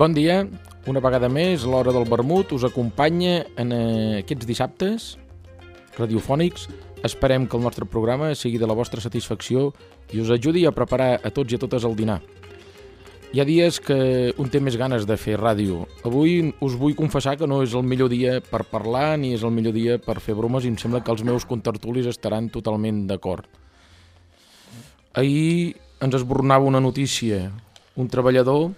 Bon dia, una vegada més, l'hora del vermut us acompanya en aquests dissabtes radiofònics. Esperem que el nostre programa sigui de la vostra satisfacció i us ajudi a preparar a tots i a totes el dinar. Hi ha dies que un té més ganes de fer ràdio. Avui us vull confessar que no és el millor dia per parlar ni és el millor dia per fer bromes i em sembla que els meus contertulis estaran totalment d'acord. Ahir ens esbornava una notícia. Un treballador,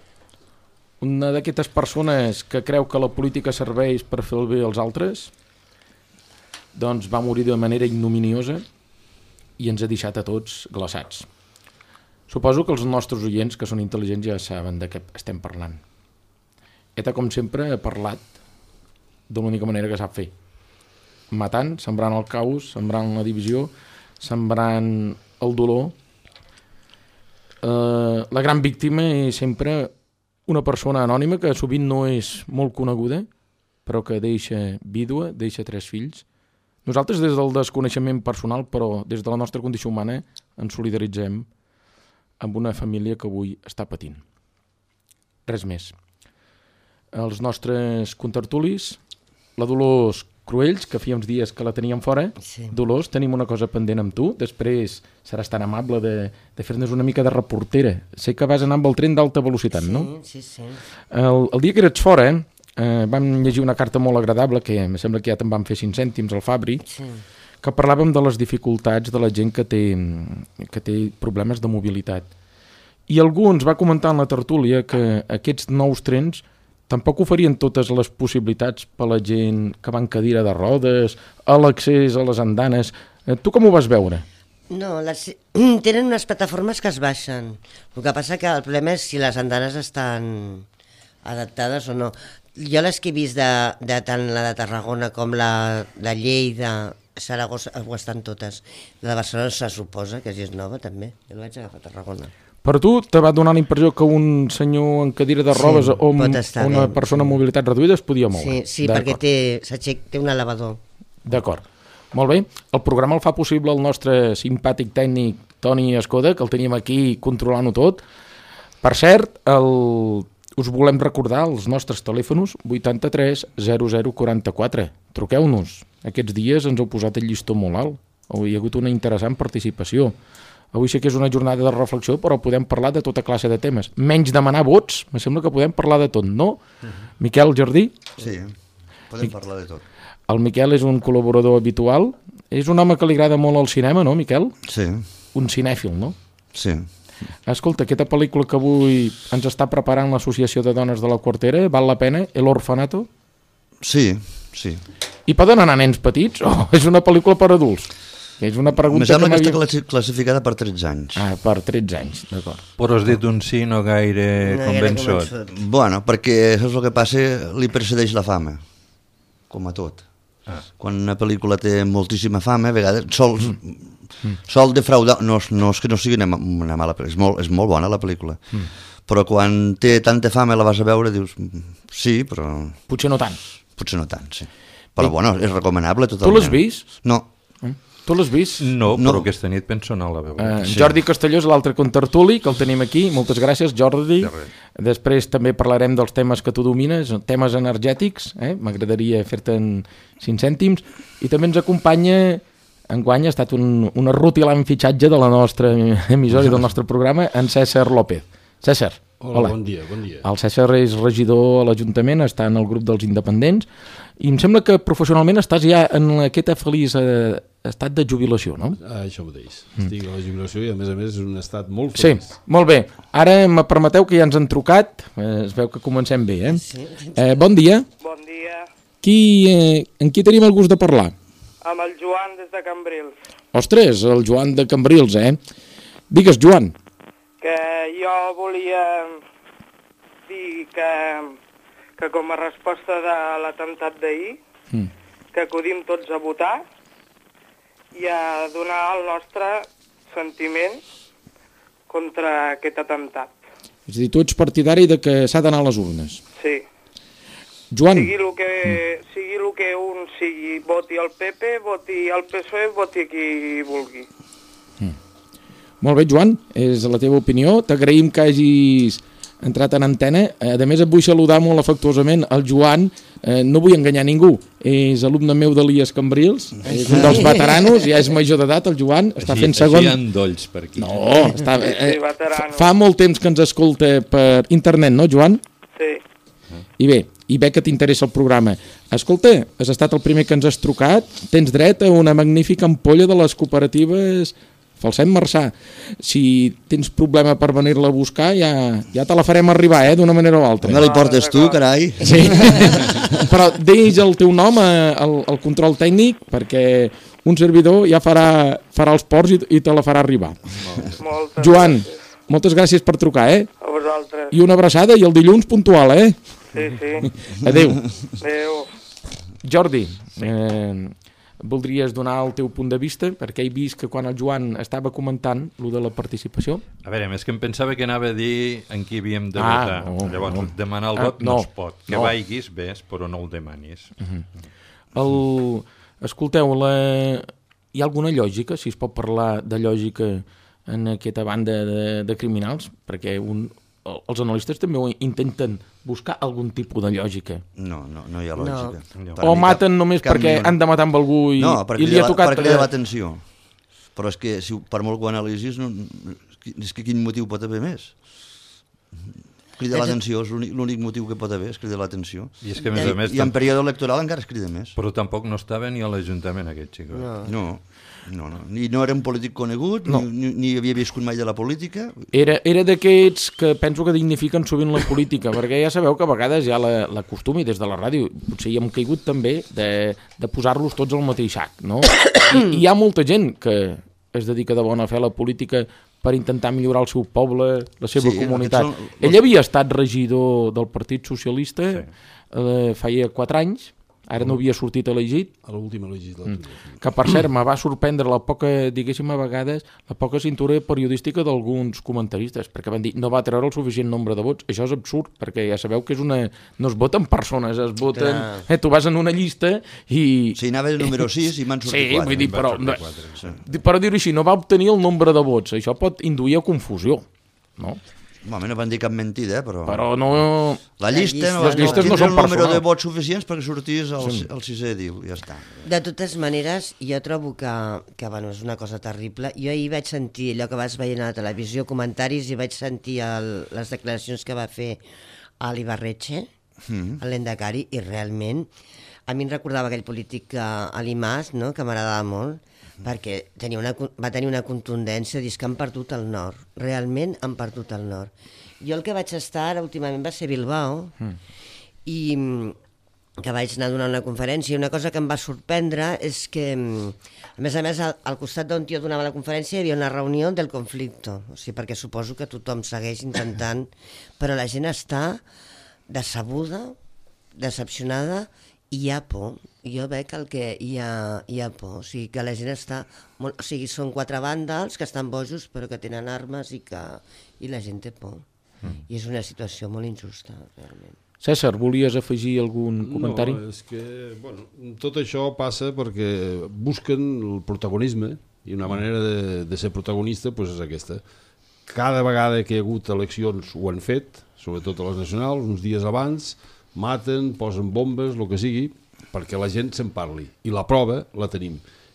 una d'aquestes persones que creu que la política serveix per fer el bé als altres, doncs va morir de manera ignominiosa i ens ha deixat a tots glaçats. Suposo que els nostres oients, que són intel·ligents, ja saben de què estem parlant. ETA, com sempre, ha parlat de l'única manera que sap fer. Matant, sembrant el caos, sembrant la divisió, sembrant el dolor. La gran víctima és sempre una persona anònima que sovint no és molt coneguda, però que deixa vídua, deixa 3 fills. Nosaltres, des del desconeixement personal, però des de la nostra condició humana, ens solidaritzem amb una família que avui està patint. Res més. Els nostres contertulis, la Dolors Cruells, que feia uns dies que la teníem fora. Sí. Dolors, tenim una cosa pendent amb tu. Després seràs tan amable de fer-nos una mica de reportera. Sé que vas anar amb el tren d'alta velocitat, no? Sí. El dia que eres fora, vam llegir una carta molt agradable, que em sembla que ja te'n van fer 5 cèntims al Fabri, que parlàvem de les dificultats de la gent que té problemes de mobilitat. I algú ens va comentar en la tertúlia que aquests nous trens tampoc oferien totes les possibilitats per a la gent que va en cadira de rodes, a l'accés a les andanes. Tu com ho vas veure? No, tenen unes plataformes que es baixen. El que passa que el problema és si les andanes estan adaptades o no. Jo les que he vist de tant la de Tarragona com la de Lleida, Saragossa, ho estan totes. La de Barcelona se suposa que és nova també. Jo la vaig agafar a Tarragona. Per tu te va donar la impressió que un senyor en cadira de robes o una persona amb mobilitat reduïda es podia moure? Sí, perquè té un elevador. D'acord. Molt bé. El programa el fa possible el nostre simpàtic tècnic Toni Escoda, que el tenim aquí controlant-ho tot. Per cert, us volem recordar els nostres telèfons 83 00 44. Truqueu-nos. Aquests dies ens heu posat el llistó molt alt. Hi ha hagut una interessant participació. Avui sí que és una jornada de reflexió, però podem parlar de tota classe de temes. Menys demanar vots, me sembla que podem parlar de tot, no? Miquel Jardí? Sí, podem parlar de tot. El Miquel és un col·laborador habitual. És un home que li agrada molt el cinema, no, Miquel? Sí. Un cinèfil, no? Sí. Escolta, aquesta pel·lícula que avui ens està preparant l'Associació de Dones de la Quartera, val la pena? El Orfanato? Sí. I poden anar nens petits o és una pel·lícula per adults? És una pregunta que sembla que està classificada per 13 anys. Ah, per 13 anys, d'acord. Però has dit un sí no gaire convençut. Bueno, perquè saps el que passa? Li precedeix la fama, com a tot. Quan una pel·lícula té moltíssima fama, a vegades sol defraudar. No és que no sigui una mala pel·lícula, és molt bona la pel·lícula. Però quan té tanta fama la vas a veure, dius, sí, però... Potser no tant, sí. Però bueno, és recomanable totalment. Tu l'has vist? No. Tu l'has vist? No, però aquesta nit penso anar a la veure. Jordi Castelló és l'altre contertuli, que el tenim aquí. Moltes gràcies, Jordi. Després també parlarem dels temes que tu domines, temes energètics. M'agradaria fer-te en 5 cèntims. I també ens acompanya, enguany ha estat un rutilant fitxatge de la nostra emissora i del nostre programa, en César López. César, hola. Bon dia. El César és regidor a l'Ajuntament, està en el grup dels independents, i em sembla que professionalment estàs ja en aquesta feliç estat de jubilació, no? Això mateix. Estic a la jubilació i a més és un estat molt feliç. Sí, molt bé. Ara me permeteu que ja ens han trucat. Es veu que comencem bé, Sí. Bon dia. Bon dia. En qui tenim el gust de parlar? Amb el Joan des de Cambrils. Ostres, el Joan de Cambrils, Digues, Joan. Que jo volia dir que com a resposta de l'atemptat d'ahir, que acudim tots a votar i a donar el nostre sentiment contra aquest atemptat. És a dir, tu ets partidari de que s'ha d'anar a les urnes. Sí. Joan. Sigui el que un sigui, voti el PP, voti el PSOE, voti qui vulgui. Molt bé, Joan, és la teva opinió. T'agraïm que hagis entrat en antena. A més, et vull saludar molt afectuosament el Joan, no vull enganyar ningú, és alumne meu d'Elies Cambrils, és un dels veteranos, ja és major d'edat el Joan, està fent segon... Així hi ha dolls per aquí. No, fa molt temps que ens escolta per internet, no, Joan? Sí. I bé, i veig que t'interessa el programa. Escolta, has estat el primer que ens has trucat, tens dret a una magnífica ampolla de les cooperatives Falset Marçà. Si tens problema per venir-la a buscar, ja te la farem arribar, d'una manera o altra. No li portes tu, carai. Sí, però deix el teu nom al control tècnic, perquè un servidor ja farà els ports i te la farà arribar. Joan, moltes gràcies per trucar, A vosaltres. I una abraçada, i el dilluns puntual, Sí, sí. Adéu. Adéu. Jordi, voldries donar el teu punt de vista? Perquè he vist que quan el Joan estava comentant lo de la participació... A veure, més que em pensava que anava a dir en qui havíem de votar. Llavors, demanar el vot no es pot. Que vaiguis, ves, però no el demanis. Escolteu, hi ha alguna lògica, si es pot parlar de lògica en aquesta banda de criminals? Perquè els analistes també intenten buscar algun tipus de lògica. No hi ha lògica. No. O maten només perquè han de matar amb algú i li ha tocat... No, perquè li ha l'atenció. Però és que, per molt que ho analisis, és que quin motiu pot haver més? Crida l'atenció, és l'únic motiu que pot haver, és cridar l'atenció. I és que, a més... I en període electoral encara es crida més. Però tampoc no estava ni a l'Ajuntament, aquest xicot. No, ni no era un polític conegut, ni havia viscut mai de la política. Era d'aquests que penso que dignifiquen sovint la política, perquè ja sabeu que a vegades hi ha la costum, i des de la ràdio potser hi hem caigut també, de posar-los tots al mateix sac, no? I hi ha molta gent que es dedica de bona fe a la política per intentar millorar el seu poble, la seva comunitat. Ell havia estat regidor del Partit Socialista feia 4 anys, ara no havia sortit elegit. A l'última legislatura. Que, per cert, me va sorprendre la poca, diguéssim, a vegades, la poca cintura periodística d'alguns comentaristes, perquè van dir, no va treure el suficient nombre de vots. Això és absurd, perquè ja sabeu que no es voten persones, es voten... Tu vas en una llista i... Sí, anava el número 6 i m'han sortit 4. Sí, vull dir, però dir-ho així, no va obtenir el nombre de vots. Això pot induir a confusió, no? Home, no van dir cap mentida, però... Però no... Les llistes no són el número personals. de vots suficients perquè sortís el 6è diu, ja està. De totes maneres, jo trobo que bueno, és una cosa terrible. Jo ahir vaig sentir allò que vas veient a la televisió, comentaris, i vaig sentir les declaracions que va fer a l'Ibarretxe, a l'Endacari, i realment a mi em recordava aquell polític Alimàs, no?, que m'agradava molt, perquè va tenir una contundència, dius que han perdut el nord, realment han perdut el nord. Jo el que vaig estar ara últimament va ser Bilbao, i que vaig anar a donar una conferència, i una cosa que em va sorprendre és que, a més, al costat d'on jo donava la conferència hi havia una reunió del conflicte, o sigui, perquè suposo que tothom segueix intentant, però la gent està decebuda, decepcionada, i hi ha por. Jo veig que hi ha por, o sigui, que la gent està... O sigui, són 4 vàndals que estan bojos però que tenen armes i la gent té por. I és una situació molt injusta, realment. César, volies afegir algun comentari? No, és que, bueno, tot això passa perquè busquen el protagonisme, i una manera de ser protagonista doncs és aquesta. Cada vegada que hi ha hagut eleccions ho han fet, sobretot a les nacionals, uns dies abans, maten, posen bombes, el que sigui, perquè la gent se'n parli. I la prova la tenim.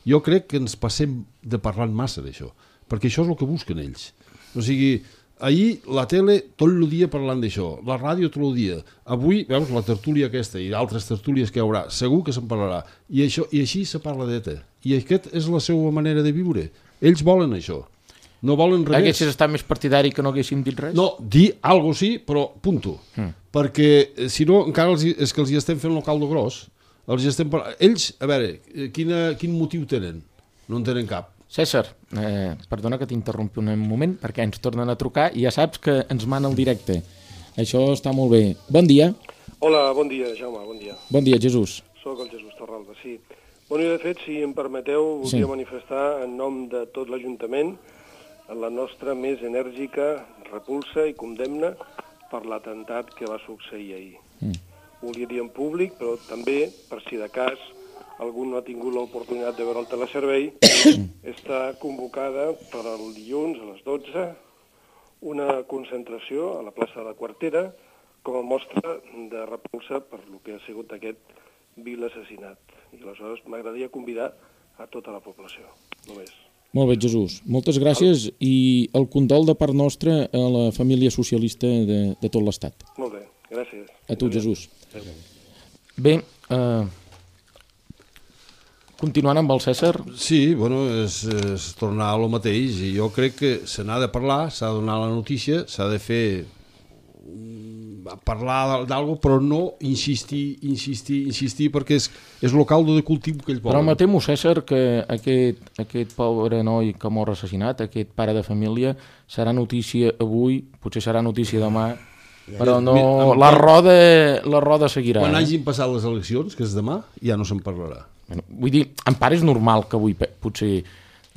Jo crec que ens passem de parlant massa d'això, perquè això és el que busquen ells. O sigui, ahir la tele tot el dia parlant d'això, la ràdio tot el dia. Avui, veus, la tertúlia aquesta i altres tertúlies que hi haurà, segur que se'n parlarà. I així se parla d'ETA. I aquesta és la seva manera de viure. Ells volen això. No volen res. Haguessis estat més partidari que no haguessin dit res? No, dir alguna cosa sí, però punto. Perquè, si no, encara és que els hi estem fent el caldo gros. Ells, a veure, quin motiu tenen? No en tenen cap. César, perdona que t'interrompi un moment, perquè ens tornen a trucar i ja saps que ens mana el directe. Això està molt bé. Bon dia. Hola, bon dia, Jaume, bon dia. Bon dia, Jesús. Soc el Jesús Torralba, sí. Bueno, i de fet, si em permeteu, volia manifestar en nom de tot l'Ajuntament la nostra més enèrgica repulsa i condemna per l'atemptat que va succeir ahir. Volia dir en públic, però també, per si de cas algú no ha tingut l'oportunitat de veure el teleservei, està convocada per al dilluns a les 12 una concentració a la plaça de la Quartera com a mostra de repulsa per lo que ha sigut aquest vil assassinat. I aleshores m'agradaria convidar a tota la població, només. Molt bé, Jesús. Moltes gràcies i el condol de part nostra a la família socialista de tot l'Estat. Molt bé, gràcies. A tu, Jesús. Bé, continuant amb el César. Sí, bueno, és tornar a lo mateix i jo crec que se n'ha de parlar, s'ha de donar la notícia, s'ha de fer parlar d'algo, però no insistir, perquè és el caldo de cultiu que ell vol. Però me temo, César, que aquest pobre noi que mor assassinat, aquest pare de família, serà notícia avui, potser serà notícia demà, però no, la roda seguirà. Quan hagin passat les eleccions, que és demà, ja no se'n parlarà. Vull dir, en part és normal que avui potser,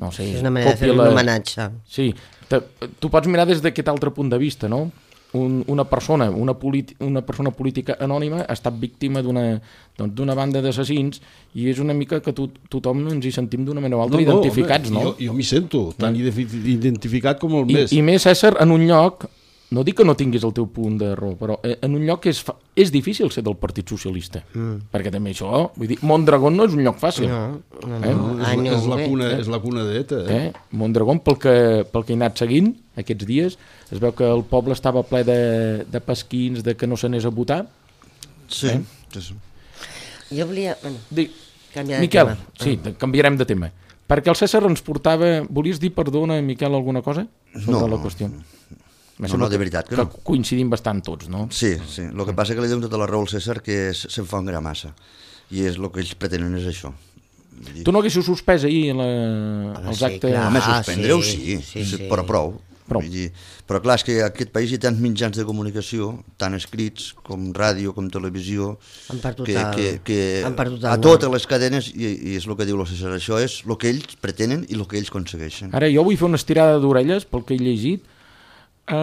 no sé... És una manera de fer un homenatge. Sí, tu pots mirar des d'aquest altre punt de vista, no? Una persona política anònima ha estat víctima d'una banda d'assassins i és una mica que tothom ens hi sentim d'una manera o altra identificats, no? Jo m'hi sento tan identificat com el més. I més, César, en un lloc, no dic que no tinguis el teu punt de raó, però en un lloc és difícil ser del Partit Socialista, perquè també això, vull dir, Mondragón no és un lloc fàcil. És la cuna d'ETA. Mondragón, pel que he anat seguint aquests dies, es veu que el poble estava ple de pesquins, de que no s'anés a votar. Sí. Jo volia... canviar de Miquel, tema. Sí, canviarem de tema. Perquè el César ens portava... Volies dir, perdona, Miquel, alguna cosa? Sobre la qüestió. No, de veritat que no. Que coincidim bastant tots, no? Sí. El que passa que li dono tota la raó al César, que se'n fa un gra massa. I és el que ells pretenen és això. Tu no haguessis suspès ahir els actes... Home, suspendre-ho sí, però prou. Però clar, és que en aquest país hi ha tants mitjans de comunicació, tant escrits com ràdio, com televisió, que a totes les cadenes, i és el que diu el César, això és el que ells pretenen i el que ells aconsegueixen. Ara jo vull fer una estirada d'orelles, pel que he llegit, a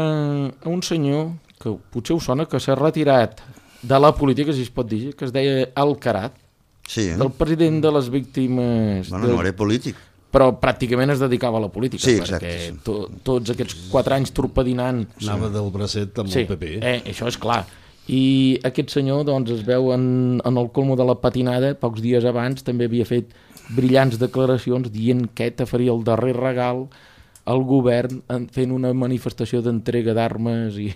un senyor que potser us sona, que s'ha retirat de la política, si es pot dir, que es deia Alcaraz, del president de les víctimes... Bueno, no era polític. Però pràcticament es dedicava a la política, sí, exacte, perquè tots aquests 4 anys torpedinant... Anava del bracet amb el PP. Això és clar. I aquest senyor doncs, es veu en el colmo de la patinada, pocs dies abans també havia fet brillants declaracions dient que ETA faria el darrer regal al govern fent una manifestació d'entrega d'armes i...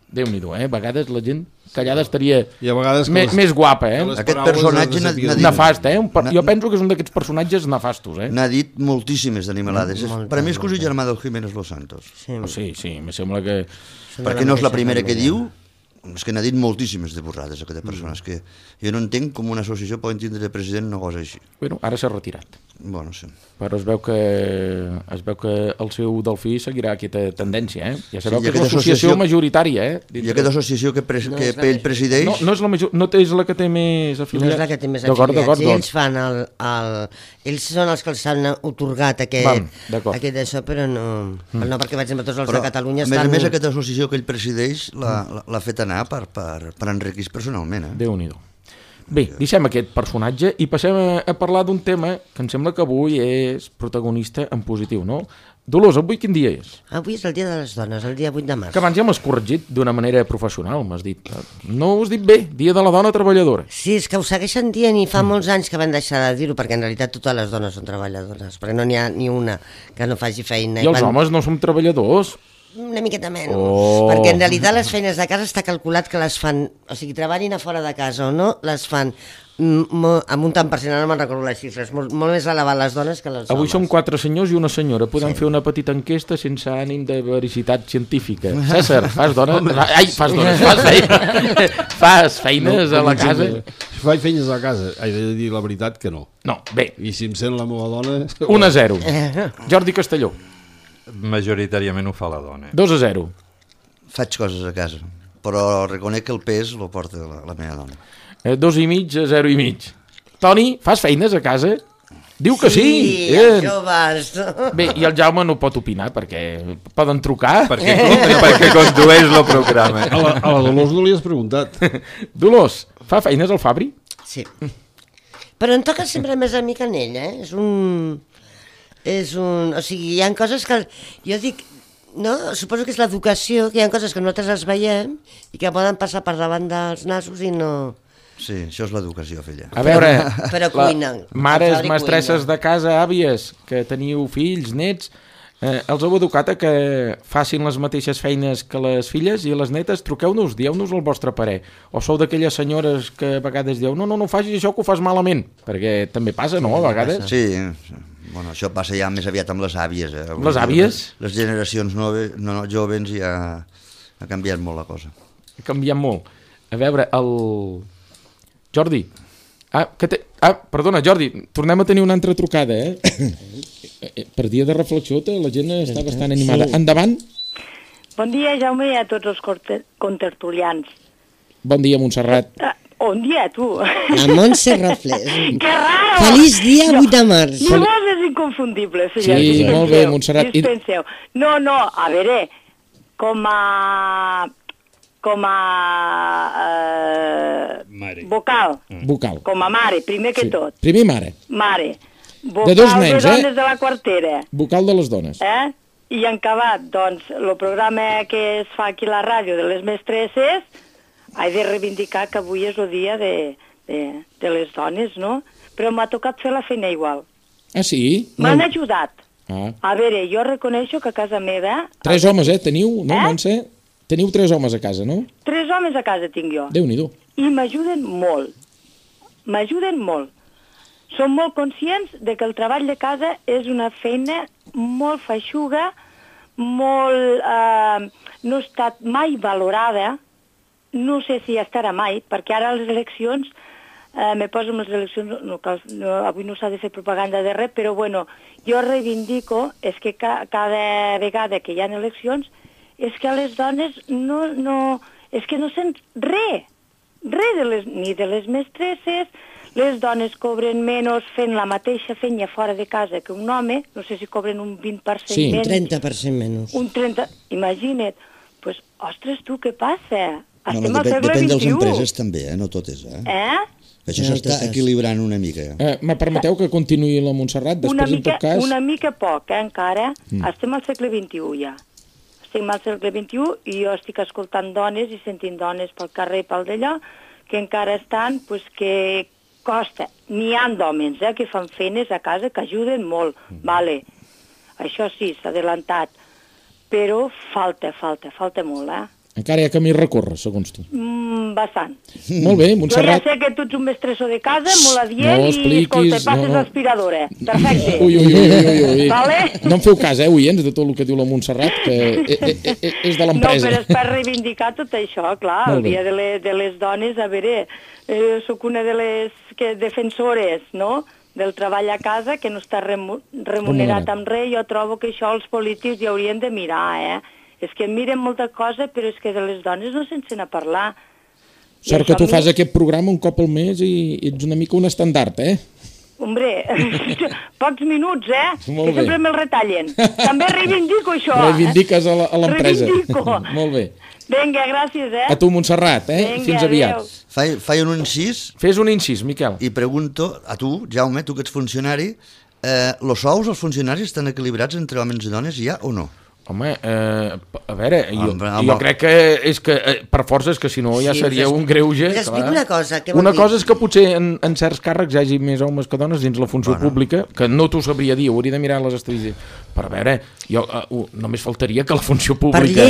Déu-n'hi-do, a vegades la gent callada estaria més guapa, Aquest personatge nefast, Jo penso que és un d'aquests personatges nefastos, N'ha dit moltíssimes d'animalades. Per a mi és cosí germà del Jiménez Los Santos. Sí, me sembla que... Perquè no és la primera que diu, és que n'ha dit moltíssimes de borrades, aquesta persona. És que jo no entenc com una associació pot tindre de president una cosa així. Bueno, ara s'ha retirat. Bueno, sí. Però es veu que el seu Delfí seguirà aquesta tendència, Ja sabeu que és l'associació majoritària, I aquesta associació que ell presideix... No és la que té més afiliats. No és la que té més afiliats. I ells fan ells són els que els han otorgat aquest d'això, però no... No, perquè, per exemple, tots els de Catalunya estan... A més, aquesta associació que ell presideix l'ha fet anar per enriquir personalment, Déu-n'hi-do. Bé, deixem aquest personatge i passem a parlar d'un tema que em sembla que avui és protagonista en positiu, no? Dolors, avui quin dia és? Avui és el dia de les dones, el dia 8 de març. Que abans ja m'has corregit d'una manera professional, m'has dit. No ho has dit bé, dia de la dona treballadora. Sí, és que ho segueixen dient i fa molts anys que van deixar de dir-ho, perquè en realitat totes les dones són treballadores, perquè no n'hi ha ni una que no faci feina. I els homes no som treballadors? Una miqueta menys, perquè en realitat les feines de casa està calculat que les fan, o sigui, treballin a fora de casa o no, les fan amb un tant per cent, no me'n recordo les xifres, molt més elevat les dones que els homes. Avui som 4 senyors i una senyora, podem fer una petita enquesta sense ànim de veracitat científica. César, fas feines a la casa? Faig feines a casa, he de dir la veritat que no. No, bé. I si em sent la meva dona... 1-0. Jordi Castelló. Majoritàriament ho fa la dona. 2-0. Faig coses a casa, però reconec que el pes lo porta la meva dona. 2,5-0,5. Toni, fas feines a casa? Diu que sí. Sí, els joves. Bé, i el Jaume no pot opinar perquè poden trucar. Perquè condueix el programa. A la Dolors no li has preguntat. Dolors, fa feines al Fabri? Sí. Però em toca sempre més a mi que en ell, O sigui, hi ha coses que... Jo dic... No, suposo que és l'educació, que hi ha coses que nosaltres les veiem i que poden passar per davant dels nassos i no... Sí, això és l'educació, filla. A veure, Però cuinen. Mares, mestresses de casa, àvies, que teniu fills, nets, els heu educat a que facin les mateixes feines que les filles i les netes? Truqueu-nos, dieu-nos el vostre parer. O sou d'aquelles senyores que a vegades dieu no facis això que ho fas malament, perquè també passa, no, a vegades? Sí, bueno, això passa ja més aviat amb les àvies. Les àvies? Les generacions joves ja ha canviat molt la cosa. Ha canviat molt. A veure, el... Jordi. Perdona, Jordi, tornem a tenir una altra trucada, Per dia de reflexió la gent està bastant animada. Endavant. Bon dia, Jaume, i a tots els contertulians. Bon dia, Montserrat. Bon dia, tu. A Montserrat Fles. Que raro! Feliç dia 8 de març. Llavors és inconfundible. Sí, molt bé, Montserrat. Dispenseu. No, a veure, com a vocal. Vocal. Com a mare, primer que tot. Primer mare. Mare. Vocal de dos nens, de dones de la quartera. Vocal de les dones. I en acabat, doncs, el programa que es fa aquí a la ràdio de les mestresses, he de reivindicar que avui és el dia de les dones, no? Però m'ha tocat fer la feina igual. Ah, sí? M'han ajudat. Ah. A veure, jo reconeixo que a casa meva... 3 homes, teniu, no, Montse? Teniu 3 homes a casa, no? 3 homes a casa tinc jo. Déu-n'hi-do. I m'ajuden molt. M'ajuden molt. Som molt conscients de que el treball de casa és una feina molt feixuga, molt... no ha estat mai valorada, no sé si estarà mai, perquè ara les eleccions, me poso amb les eleccions, avui no s'ha de fer propaganda de res, però bueno, jo reivindico, és que cada vegada que hi ha eleccions, és que a les dones és que no sent res ni de les mestresses. Les dones cobren menys fent la mateixa feina fora de casa que un home, no sé si cobren un 20% sí, menys. Sí, un 30% menys. Un 30%, imagina't. Pues, ostres, tu, què passa? Estem al segle XXI. Depèn de les empreses també, no totes. Això s'està equilibrant una mica. Me permeteu que continuï la Montserrat? Després, en tot cas... Una mica poc, encara. Estem al segle XXI, ja. Estem al segle XXI i jo estic escoltant dones i sentint dones pel carrer i pel d'allò que encara estan, pues, que costa. N'hi ha d'homes que fan feines a casa que ajuden molt, vale. Això sí, s'ha adelantat, però falta molt, Encara hi ha camí a recórrer, segons tu. Bastant. Molt bé, Montserrat. Jo ja sé que tu ets un mestressó de casa, molt adient, i escolta, passes l'aspiradora. Perfecte. Ui. Vale? No em feu cas, oients, de tot el que diu la Montserrat, que és de l'empresa. No, però és per reivindicar tot això, clar, el dia de les dones, a veure, sóc una de les defensores, no?, del treball a casa, que no està remunerat amb res. Jo trobo que això els polítics hi haurien de mirar, És que miren molta cosa, però és que de les dones no se'n sent a parlar. Sort que tu fas aquest programa un cop al mes i ets una mica un estandard, Hombre, pocs minuts, Molt que sempre me'l retallen. També reivindico això, Reivindiques a l'empresa. Reivindico. Molt bé. Vinga, gràcies, A tu, Montserrat, Vinga, fins aviat. Faig un incís. Fes un incís, Miquel. I pregunto a tu, Jaume, tu que ets funcionari, els sous dels funcionaris estan equilibrats entre homes i dones ja o no? Home, a veure, jo crec que és que per força és que si no ja seria un greuge. Us explico una cosa. Una cosa és que potser en certs càrrecs hi hagi més homes que dones dins la funció pública, que no t'ho sabria dir, hauria de mirar les estadístiques. Però a veure, només faltaria que la funció pública...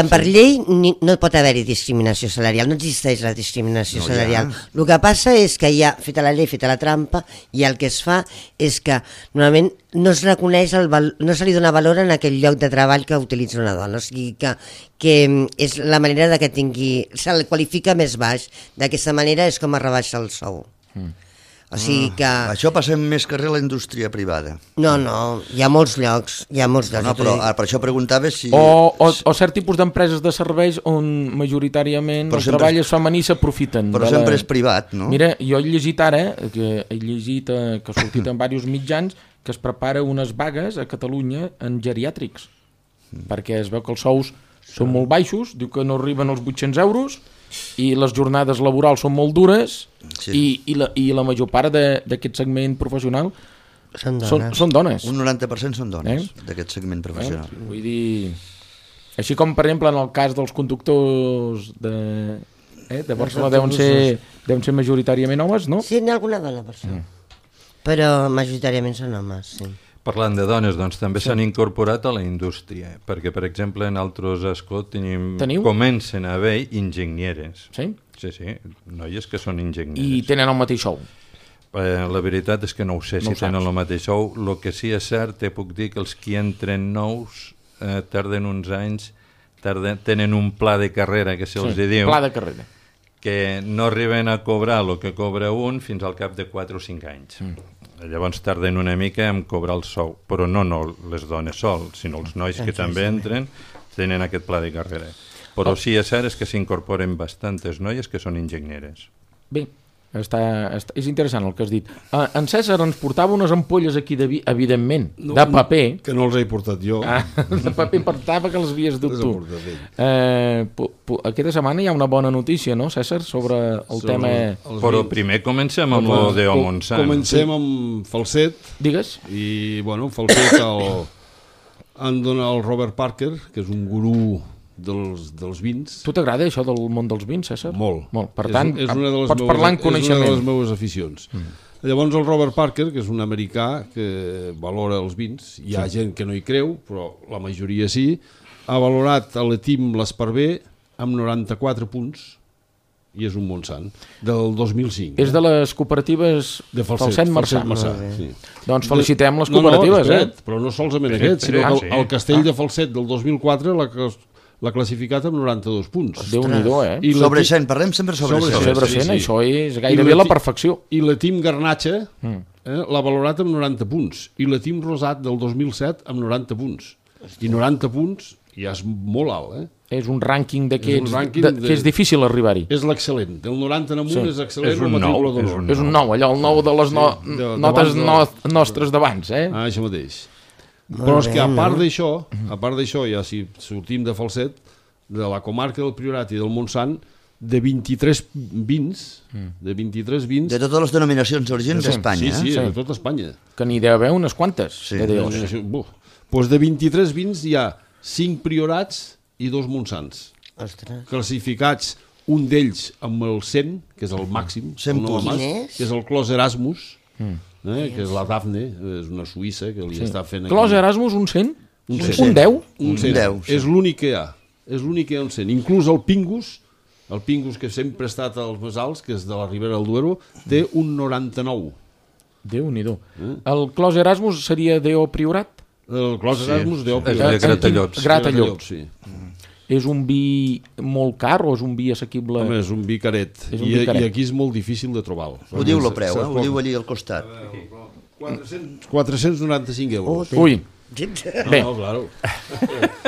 Per llei no pot haver-hi discriminació salarial, no existeix la discriminació salarial. El que passa és que hi ha, feta la llei, feta la trampa, i el que es fa és que normalment no es reconeix, no se li dona valor en aquell lloc de treball que utilitza una dona, o sigui que és la manera de que se'l qualifica més baix, d'aquesta manera és com es rebaixa el sou. O sigui que... Això passa més carrer a la indústria privada. No, hi ha molts llocs. No, però per això preguntava si... O cert tipus d'empreses de serveis on majoritàriament el treball és femení s'aprofiten. Però sempre és privat, no? Mira, jo he llegit ara, que ha sortit en diversos mitjans, que es prepara unes vagues a Catalunya en geriàtrics, perquè es veu que els sous són molt baixos, diu que no arriben als 800 euros, i les jornades laborals són molt dures, i la major part d'aquest segment professional són dones. Un 90% són dones, d'aquest segment professional. Vull dir... Així com, per exemple, en el cas dels conductors de Barcelona deuen ser majoritàriament homes, no? Sí, n'hi ha alguna dona, per això. Però majoritàriament són homes, sí. Parlant de dones, doncs també s'han incorporat a la indústria, perquè, per exemple, en altres escots comencen a haver enginyeres. Sí? Sí, noies que són enginyeres. I tenen el mateix sou? La veritat és que no ho sé si tenen el mateix sou. El que sí és cert, te puc dir que els que entren nous tarden uns anys, tenen un pla de carrera, que se'ls diu, pla de carrera, que no arriben a cobrar el que cobra un fins al cap de 4 o 5 anys. Llavors tarden una mica en cobrar el sou, però no les dones sol, sinó els nois que també entren tenen aquest pla de carrera. Però sí és cert que s'incorporen bastantes noies que són enginyeres. Bé, és interessant el que has dit. En César ens portava unes ampolles aquí, evidentment, de paper. Que no els he portat jo. De paper, portava que les havies dut tu. Aquesta setmana hi ha una bona notícia, no, César, sobre el tema... Però primer comencem amb el de Montsant. Comencem amb Falset. Digues. I, bueno, Falset han donat el Robert Parker, que és un gurú dels vins. Tu t'agrada això del món dels vins, César? Molt. Per tant, pots parlar en coneixement. És una de les meves aficions. Llavors el Robert Parker, que és un americà que valora els vins, hi ha gent que no hi creu, però la majoria sí, ha valorat a l'Etim l'Esparver amb 94 punts, i és un Montsant, del 2005. És de les cooperatives de Falset Marçà. Sí. Doncs felicitem les cooperatives. Però no solament aquest, sinó que el Castell de Falset del 2004 l'ha classificat amb 92 punts. Déu-n'hi-do, Sobre 100, parlem sempre sobre 100. Sobre 100, això és gairebé la perfecció. I l'Etim Garnatxa l'ha valorat amb 90 punts. I l'Etim Rosat del 2007 amb 90 punts. I 90 punts ja és molt alt, És un rànquing d'aquests que és difícil arribar-hi. És l'excel·lent. Del 90 en amunt és excel·lent. És un 9, allò, el 9 de les notes nostres d'abans, això mateix. Però és que a part d'això, ja si sortim de Falset, de la comarca del Priorat i del Montsant, de 23 vins, de totes les denominacions d'origen d'Espanya. Sí, de tota Espanya. Que n'hi deu haver unes quantes. Doncs de 23 vins hi ha 5 Priorats i 2 Montsants. Classificats, un d'ells amb el 100, que és el màxim, que és el Clos Erasmus, que és la Dafne, és una suïssa que li està fent... Clos Erasmus, un 100? Un 10? Un 10. És l'únic que hi ha. És l'únic que hi ha un 100. Inclús el Pingus que sempre ha estat als més alts, que és de la Ribera del Duero, té un 99. Déu-n'hi-do. El Clos Erasmus seria D.O. Priorat? El Clos Erasmus D.O. Priorat. És de Gratallops. Gratallops, sí. És un vi molt car o és un vi assequible? Home, és un vi caret. I aquí és molt difícil de trobar-lo. Ho diu el preu, ho diu allí al costat. 495 euros. Ui. Bé. No, claro.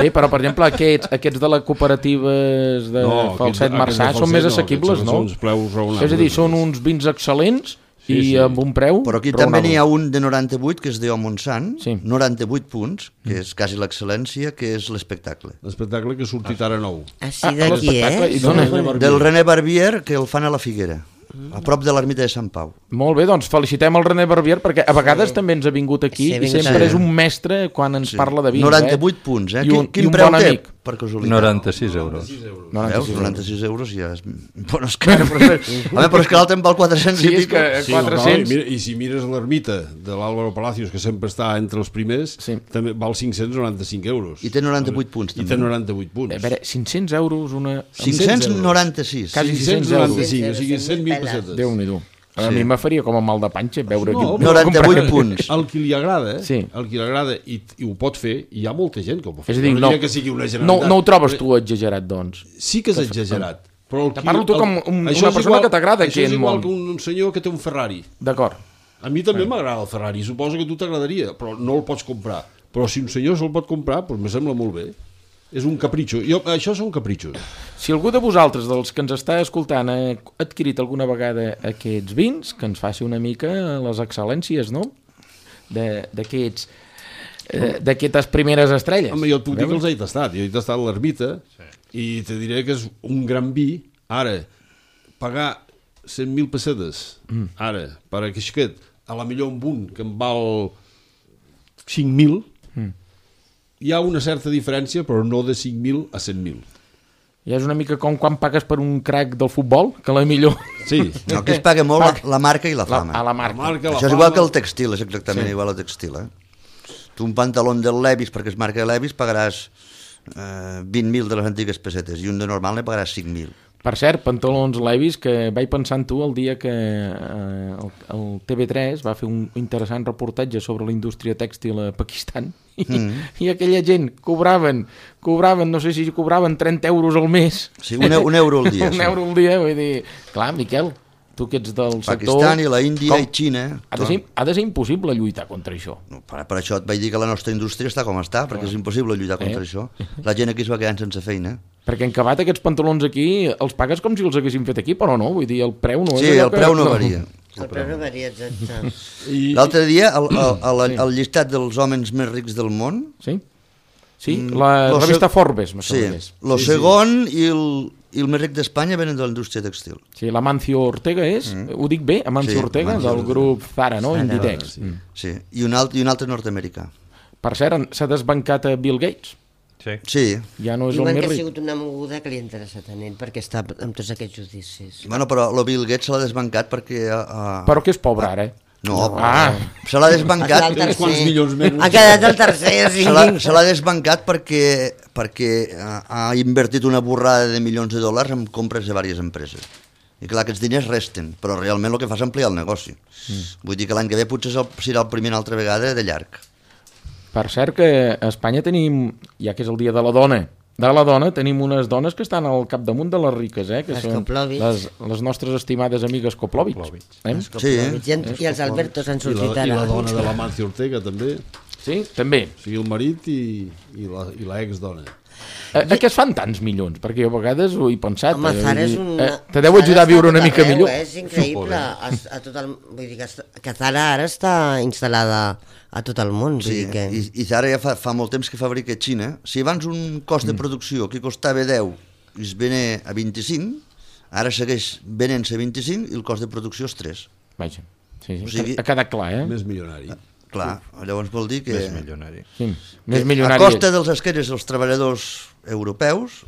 Bé, però per exemple aquests de les cooperatives de Falset Marçà són més assequibles, no? És a dir, són uns vins excel·lents i amb un preu... Però aquí també n'hi ha un de 98, que és D.O. Montsant, 98 punts, que és quasi l'excel·lència, que és l'espectacle. L'espectacle que ha sortit ara nou. Així d'aquí, Del René Barbier, que el fan a la Figuera, a prop de l'ermita de Sant Pau. Molt bé, doncs felicitem el René Barbier, perquè a vegades també ens ha vingut aquí i sempre és un mestre quan ens parla de vins. 98 punts, Quin preu té? Per casualitat. 96 euros. 96 euros ja és... Bueno, és car, però és que l'altre en val 400 i pico. 400. I si mires l'ermita de l'Álvaro Palacios, que sempre està entre els primers, també val 595 euros. I té 98 punts, també. I té 98 punts. A veure, 500 euros una... 596. Quasi 600 euros. 595, o sigui 100.000 pessetes. Déu-n'hi-do. A mi me faria com a mal de panxa veure... 98 punts. El qui li agrada, el qui li agrada i ho pot fer, hi ha molta gent que ho pot fer. És a dir, no diria que sigui una generalitat. No ho trobes tu exagerat, doncs? Sí que és exagerat. Te parlo tu com una persona que t'agrada aquest món. Això és igual que un senyor que té un Ferrari. D'acord. A mi també m'agrada el Ferrari, suposo que a tu t'agradaria, però no el pots comprar. Però si un senyor se'l pot comprar, doncs me sembla molt bé. És un capritxo. Això són capritxos. Si algú de vosaltres, dels que ens està escoltant, ha adquirit alguna vegada aquests vins, que ens faci una mica les excel·lències, no? D'aquestes primeres estrelles. Home, jo et puc dir que els he tastat. Jo he tastat l'ermita i te diré que és un gran vi. Ara, pagar 100.000 pessetes, ara, per aquest, a la millor amb un que em val 5.000, hi ha una certa diferència, però no de 5.000 a 100.000. Ja és una mica com quan pagues per un crack del futbol, que la millor... Sí. No, aquí es paga molt la marca i la fama. A la marca. Això és igual que el textil, és exactament igual al textil. Tu un pantaló del Levi's, perquè es marca Levi's, pagaràs 20.000 de les antigues pessetes, i un de normal ne pagaràs 5.000. Per cert, pantalons Levi's, que vaig pensar en tu el dia que el TV3 va fer un interessant reportatge sobre la indústria tèxtil a Pakistan i aquella gent cobraven, no sé si cobraven 30 euros al mes. Sí, un euro al dia. Un euro al dia, vull dir... Clar, Miquel, tu que ets del sector... Pakistan i la Índia i Xina... Ha de ser impossible lluitar contra això. No, per això et vaig dir que la nostra indústria està com està, perquè és impossible lluitar contra això. La gent aquí es va quedant sense feina. Perquè en acabat aquests pantalons aquí els pagues com si els haguessin fet aquí, però no, vull dir, el preu no és... Sí, el preu no varia. El preu no varia, exacte. L'altre dia, el llistat dels homes més rics del món... Sí? Sí, la revista Forbes, no sé més. El segon i el més ric d'Espanya venen de la indústria textil. Sí, l'Amancio Ortega és, ho dic bé, Amancio Ortega, del grup Zara, no? Inditex. Sí, i un altre nord-americà. Per cert, s'ha desbancat a Bill Gates. Sí. Ja no és el Diuen més que ha ric. sigut una moguda que li ha interessat a ell perquè està amb tots aquests judicis. Bueno, però el Bill Gates se l'ha desbancat perquè... Però que és pobre, ara, No, se l'ha desbancat... Ha quedat el tercer, sí. Se l'ha desbancat perquè ha invertit una borrada de milions de dòlars en compres de diverses empreses. I clar, aquests diners resten, però realment el que fa és ampliar el negoci. Vull dir que l'any que ve potser serà el primer una altra vegada de llarg. Per cert que a Espanya tenim, ja que és el dia de la dona, tenim unes dones que estan al capdamunt de les riques, que les són les nostres estimades amigues Koplovich. Sí, I els Albertos han sortit ara. I la dona de l'Amancio Ortega, també. Sí, també. O sigui, el marit i l'ex-dona. A què es fan tants milions? Perquè jo a vegades ho he pensat. Home, Zara és una... Te deu ajudar a viure una mica millor. És increïble. Vull dir que Zara ara està instal·lada a tot el món. Sí, i Zara ja fa molt temps que fabrica a Xina. Si abans un cost de producció que costava 10 i es venia a 25, ara segueix venent-se a 25 i el cost de producció és 3. Vaja, sí, ha quedat clar, Més milionari. Clar, llavors vol dir que... Més milionari. Sí, més milionari. A costa dels esquenes dels treballadors europeus,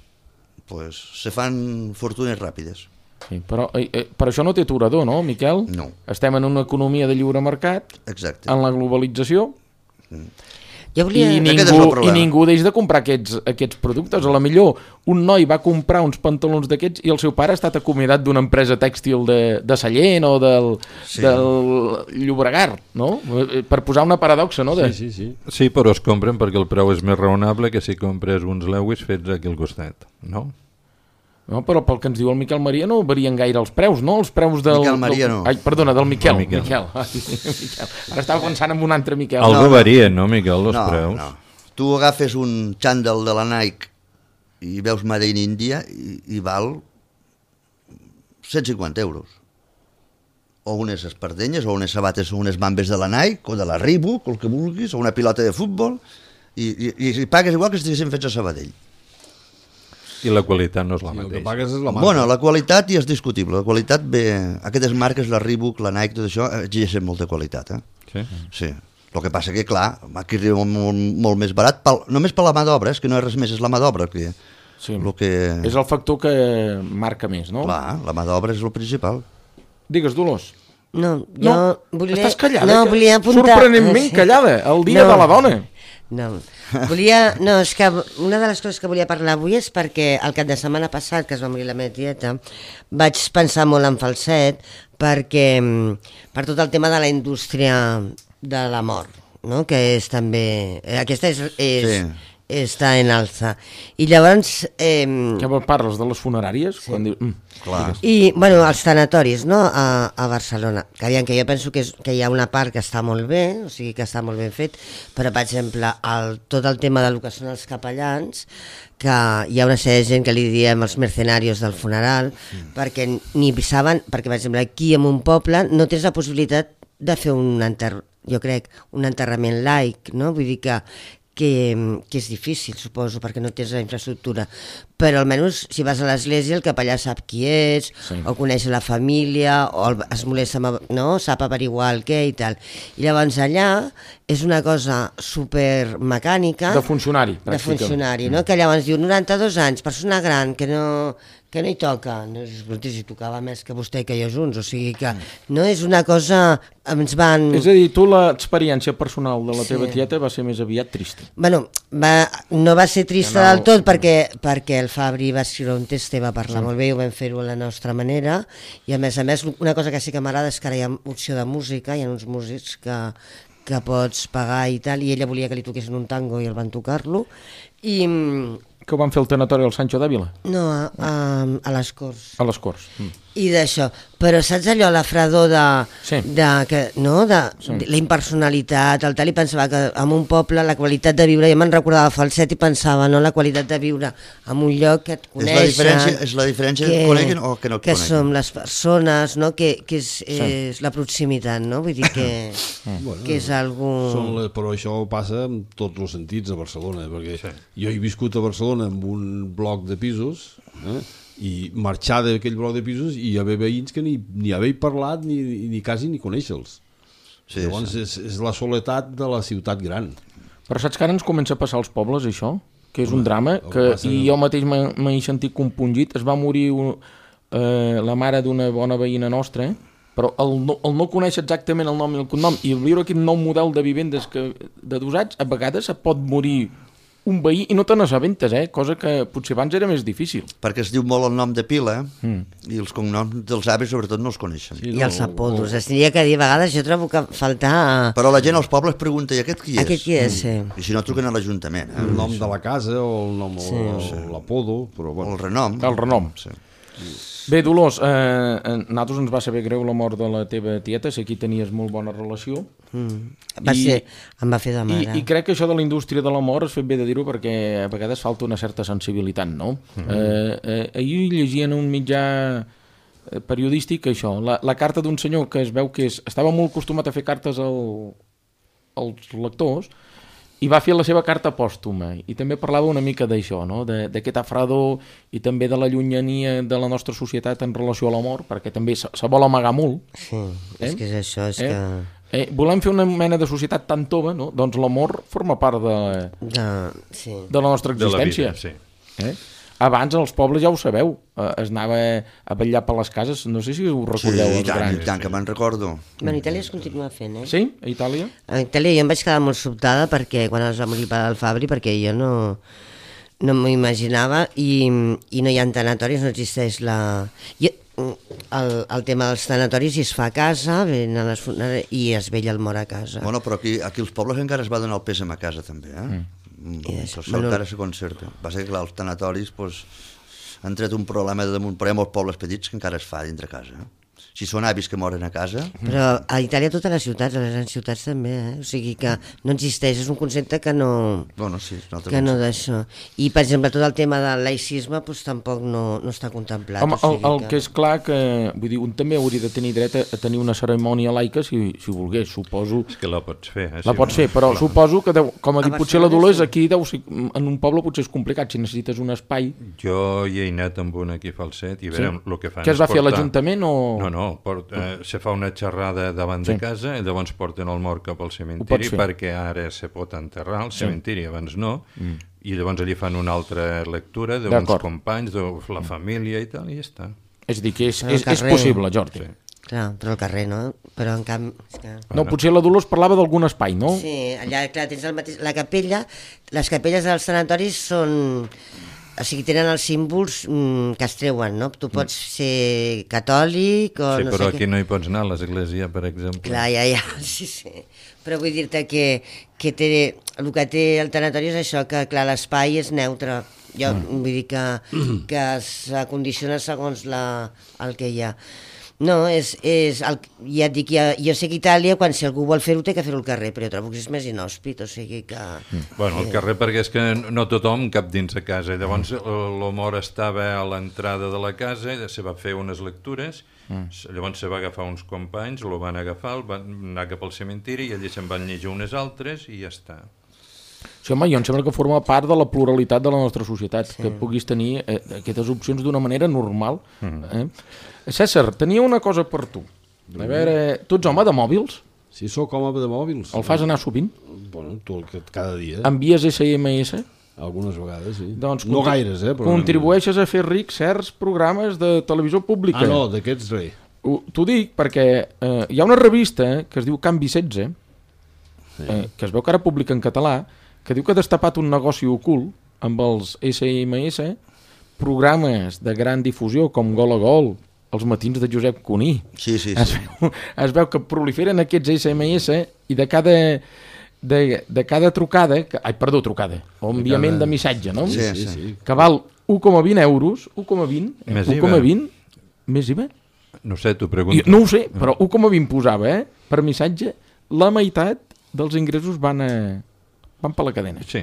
pues, se fan fortunes ràpides. Sí, però per això no té aturador, no, Miquel? No. Estem en una economia de lliure mercat, exacte, en la globalització, volia... i ningú deix de comprar aquests productes. A la millor un noi va comprar uns pantalons d'aquests i el seu pare ha estat acomiadat d'una empresa tèxtil de Sallent o del Llobregat, no? Per posar una paradoxa, no? Sí, però es compren perquè el preu és més raonable que si compres uns Lewis fets aquí al costat, no? No, però pel que ens diu el Miquel Maria no varien gaire els preus, no? Els preus del... Miquel Maria no. Ai, perdona, del Miquel. Miquel. Ara estava pensant en un altre Miquel. Algú varia, no, Miquel, els preus? No. Tu agafes un xandall de la Nike i veus Made in India i val 150 euros. O unes espardenyes, o unes sabates, o unes bambes de la Nike, o de la Reebok, o el que vulguis, o una pilota de futbol, i pagues igual que estiguessin fets a Sabadell. I la qualitat no és la mateixa. El que pagues és la marca. Bueno, la qualitat ja és discutible. La qualitat ve... Aquestes marques, la Reebok, la Nike, tot això, exigeixen molta qualitat. Sí. El que passa que, clar, aquí arriba molt més barat, només per la mà d'obra, és que no és res més, és la mà d'obra. És el factor que marca més, no? Clar, la mà d'obra és el principal. Digues, Dolors. No, jo volia... Estàs callada? No, volia apuntar... Sorprenentment callada, el dia de la dona. No, és que una de les coses que volia parlar avui és perquè el cap de setmana passat, que es va morir la meva tieta, vaig pensar molt en falset perquè per tot el tema de la indústria de la mort, no? Que és també... Aquesta està en alça. I llavors... Què parles, de les funeràries? Sí. Quan diu... Clar. I, bueno, els tanatoris, no?, a Barcelona. Que jo penso que hi ha una part que està molt bé, o sigui, que està molt ben fet, però, per exemple, tot el tema del que són els capellans, que hi ha una sèrie de gent que li diem els mercenarios del funeral, perquè ni saben, perquè, per exemple, aquí en un poble no tens la possibilitat de fer un enterrament laic, no? Vull dir que és difícil, suposo, perquè no tens la infraestructura. però almenys si vas a l'església el capellà sap qui ets, o coneix la família, o es molesta, no? Sap averiguar el què i tal. I llavors allà és una cosa super mecànica. De funcionari, pràcticament. De funcionari, no? Que llavors diu 92 anys, persona gran, que no hi toca. No, si tocava més que vostè i que jo junts, o sigui que no és una cosa... Ens van... És a dir, tu l'experiència personal de la teva tieta va ser més aviat trista. Bueno, no va ser trista del tot perquè el Fabri va escriure un text i va parlar molt bé i ho vam fer-ho a la nostra manera, i a més, una cosa que sí que m'agrada és que ara hi ha opció de música, hi ha uns músics que pots pagar i tal, i ella volia que li toquessin un tango i el van tocar-lo, i... Que ho van fer al tanatori al Sancho d'Àvila? No, a les Corts. A les Corts. I d'això. Però saps allò, la fredor de la impersonalitat, el tal, i pensava que en un poble la qualitat de viure, jo me'n recordava Falset i pensava, no, la qualitat de viure en un lloc que et coneixen... És la diferència que coneguin o que no et que coneguin. Que som les persones, no? Que és la proximitat, no? Vull dir que és algú... Però això passa en tots els sentits a Barcelona, perquè jo he viscut a Barcelona amb un bloc de pisos, i marxar d'aquell bloc de pisos i hi haver veïns que ni haver parlat ni quasi ni conèixer-los. Llavors és la soledat de la ciutat gran. Però saps que ara ens comença a passar als pobles això? Que és un drama, i jo mateix m'he sentit compungit. Es va morir la mare d'una bona veïna nostra, però el no conèixer exactament el nom i el cognom i viure aquest nou model de vivendes d'adosats, a vegades et pot morir un veí i no te n'assabentes, cosa que potser abans era més difícil. Perquè es diu molt el nom de pila i els cognoms dels avis sobretot no els coneixen. I els apodos. Es diria que a vegades jo trobo que faltar... Però la gent als pobles pregunta, i aquest qui és? Aquest qui és, sí. I si no truquen a l'Ajuntament. El nom de la casa o el nom o l'apodo. O el renom. El renom. Bé, Dolors, a nosaltres ens va saber greu la mort de la teva tieta, sé que hi tenies molt bona relació. Em va fer de mare. I crec que això de la indústria de la mort es fet bé de dir-ho perquè a vegades falta una certa sensibilitat, no? Ahir llegia en un mitjà periodístic això, la carta d'un senyor que es veu que estava molt acostumat a fer cartes als lectors i va fer la seva carta pòstuma i també parlava una mica d'això, no? D'aquest fredor i també de la llunyania de la nostra societat en relació a la mort, perquè també se vol amagar molt. Sí, és que és això, és que... volem fer una mena de societat tan tova, no? Doncs l'amor forma part de la nostra existència. De la vida, sí. Abans als pobles ja ho sabeu, es anava a vetllar per les cases, no sé si ho recordeu els grans. Sí, tant que me'n recordo. Bueno, a Itàlia es continua fent, Sí? A Itàlia? A Itàlia jo em vaig quedar molt sobtada perquè quan es va morir el pare del Fabri, perquè jo no m'ho imaginava i no hi ha tanatoris, no existeix el tema dels tanatoris i es fa a casa i es vetlla el mort a casa. Bueno, però aquí als pobles encara es va donar el pèsam a casa també, això encara se concerta. Va ser que els tanatoris han tret un problema de damunt, però hi ha molts pobles petits que encara es fa dintre casa. Si són avis que moren a casa... Però a Itàlia totes les ciutats, a les grans ciutats també, o sigui que no existeix, és un concepte que no... Bueno, sí, que no d'això. I, per exemple, tot el tema del laïcisme tampoc no està contemplat. Home, el que és clar que... Vull dir, un també hauria de tenir dret a tenir una cerimònia laica si volgués, suposo... És que la pots fer. La pots fer, però suposo que, com ha dit potser la Dolors, aquí en un poble potser és complicat, si necessites un espai... Jo hi he anat amb un aquí Falset i veurem el que fan. Què es va fer a l'Ajuntament o...? No, se fa una xerrada davant de casa i llavors porten el mort cap al cementiri perquè ara se pot enterrar al cementiri, abans no, i llavors allí fan una altra lectura d'uns companys, de la família i tal, i ja està. És a dir, que és possible, Jordi. Clar, però al carrer, no? Però en canvi... No, potser la Dolors parlava d'algun espai, no? Sí, allà, clar, tens el mateix... La capella, les capelles dels tanatoris són... O sigui, tenen els símbols que es treuen, no? Tu pots ser catòlic o no sé què... Sí, però aquí no hi pots anar, a l'església, per exemple. Clar, ja, sí. Però vull dir-te que el que té el tanatori és això, que clar, l'espai és neutre. Jo vull dir que s'acondiciona segons el que hi ha. No, ja et dic, jo sé que Itàlia, si algú vol fer-ho, té que fer-ho al carrer, però jo trobo que és més inhòspit, o sigui que... Bueno, al carrer perquè és que no tothom cap dins de casa, llavors l'Homor estava a l'entrada de la casa, se va fer unes lectures, llavors se va agafar uns companys, lo van agafar, van anar cap al cementiri i allí se'n van llegir unes altres i ja està. Sí, home, jo em sembla que forma part de la pluralitat de la nostra societat, que puguis tenir aquestes opcions d'una manera normal. César, tenia una cosa per tu. A veure, tu ets home de mòbils? Sí, sóc home de mòbils. El fas anar sovint? Bueno, cada dia. Envies SMS? Algunes vegades, sí. Doncs no gaires, però... Contribueixes a fer ric certs programes de televisió pública. Ah, no, d'aquests res. T'ho dic perquè hi ha una revista que es diu Canvi 16, que es veu que ara publica en català, que diu que ha destapat un negoci ocult amb els SMS, programes de gran difusió com Gol a Gol, els matins de Josep Cuní. Sí. Es veu que proliferen aquests SMS i de cada trucada, trucada, o enviament de missatge, no? Sí. Que val 1,20 euros, 1,20, més IVA? No sé, t'ho pregunto. No ho sé, però 1,20 posava, per missatge, la meitat dels ingressos van per la cadena. Sí.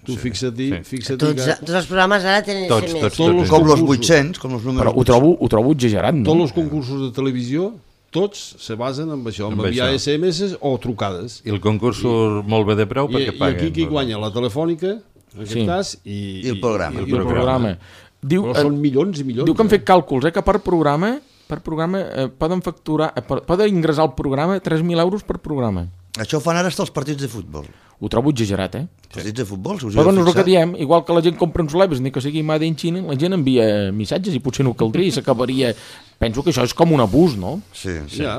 Tu fixa't-hi Tots els programes ara tenen SMS. Com los 800, com els números... Però ho trobo exagerat, no? Tots els concursos de televisió, tots se basen en això, en enviar SMS o trucades. I el concurs surt molt bé de preu perquè paguen. I aquí qui guanya? La telefònica, en aquest cas, i el programa. I el programa. Però són milions i milions. Diu que han fet càlculs, que per programa poden facturar, poden ingressar al programa 3.000 euros per programa. Això ho fan ara hasta els partits de futbol. Ho trobo exagerat, Partits de futbol, si us però heu no és el que fixat. diem, igual que la gent compra uns leves, ni que sigui Made in China, la gent envia missatges i potser no caldria i s'acabaria... Penso que això és com un abús, no? Sí.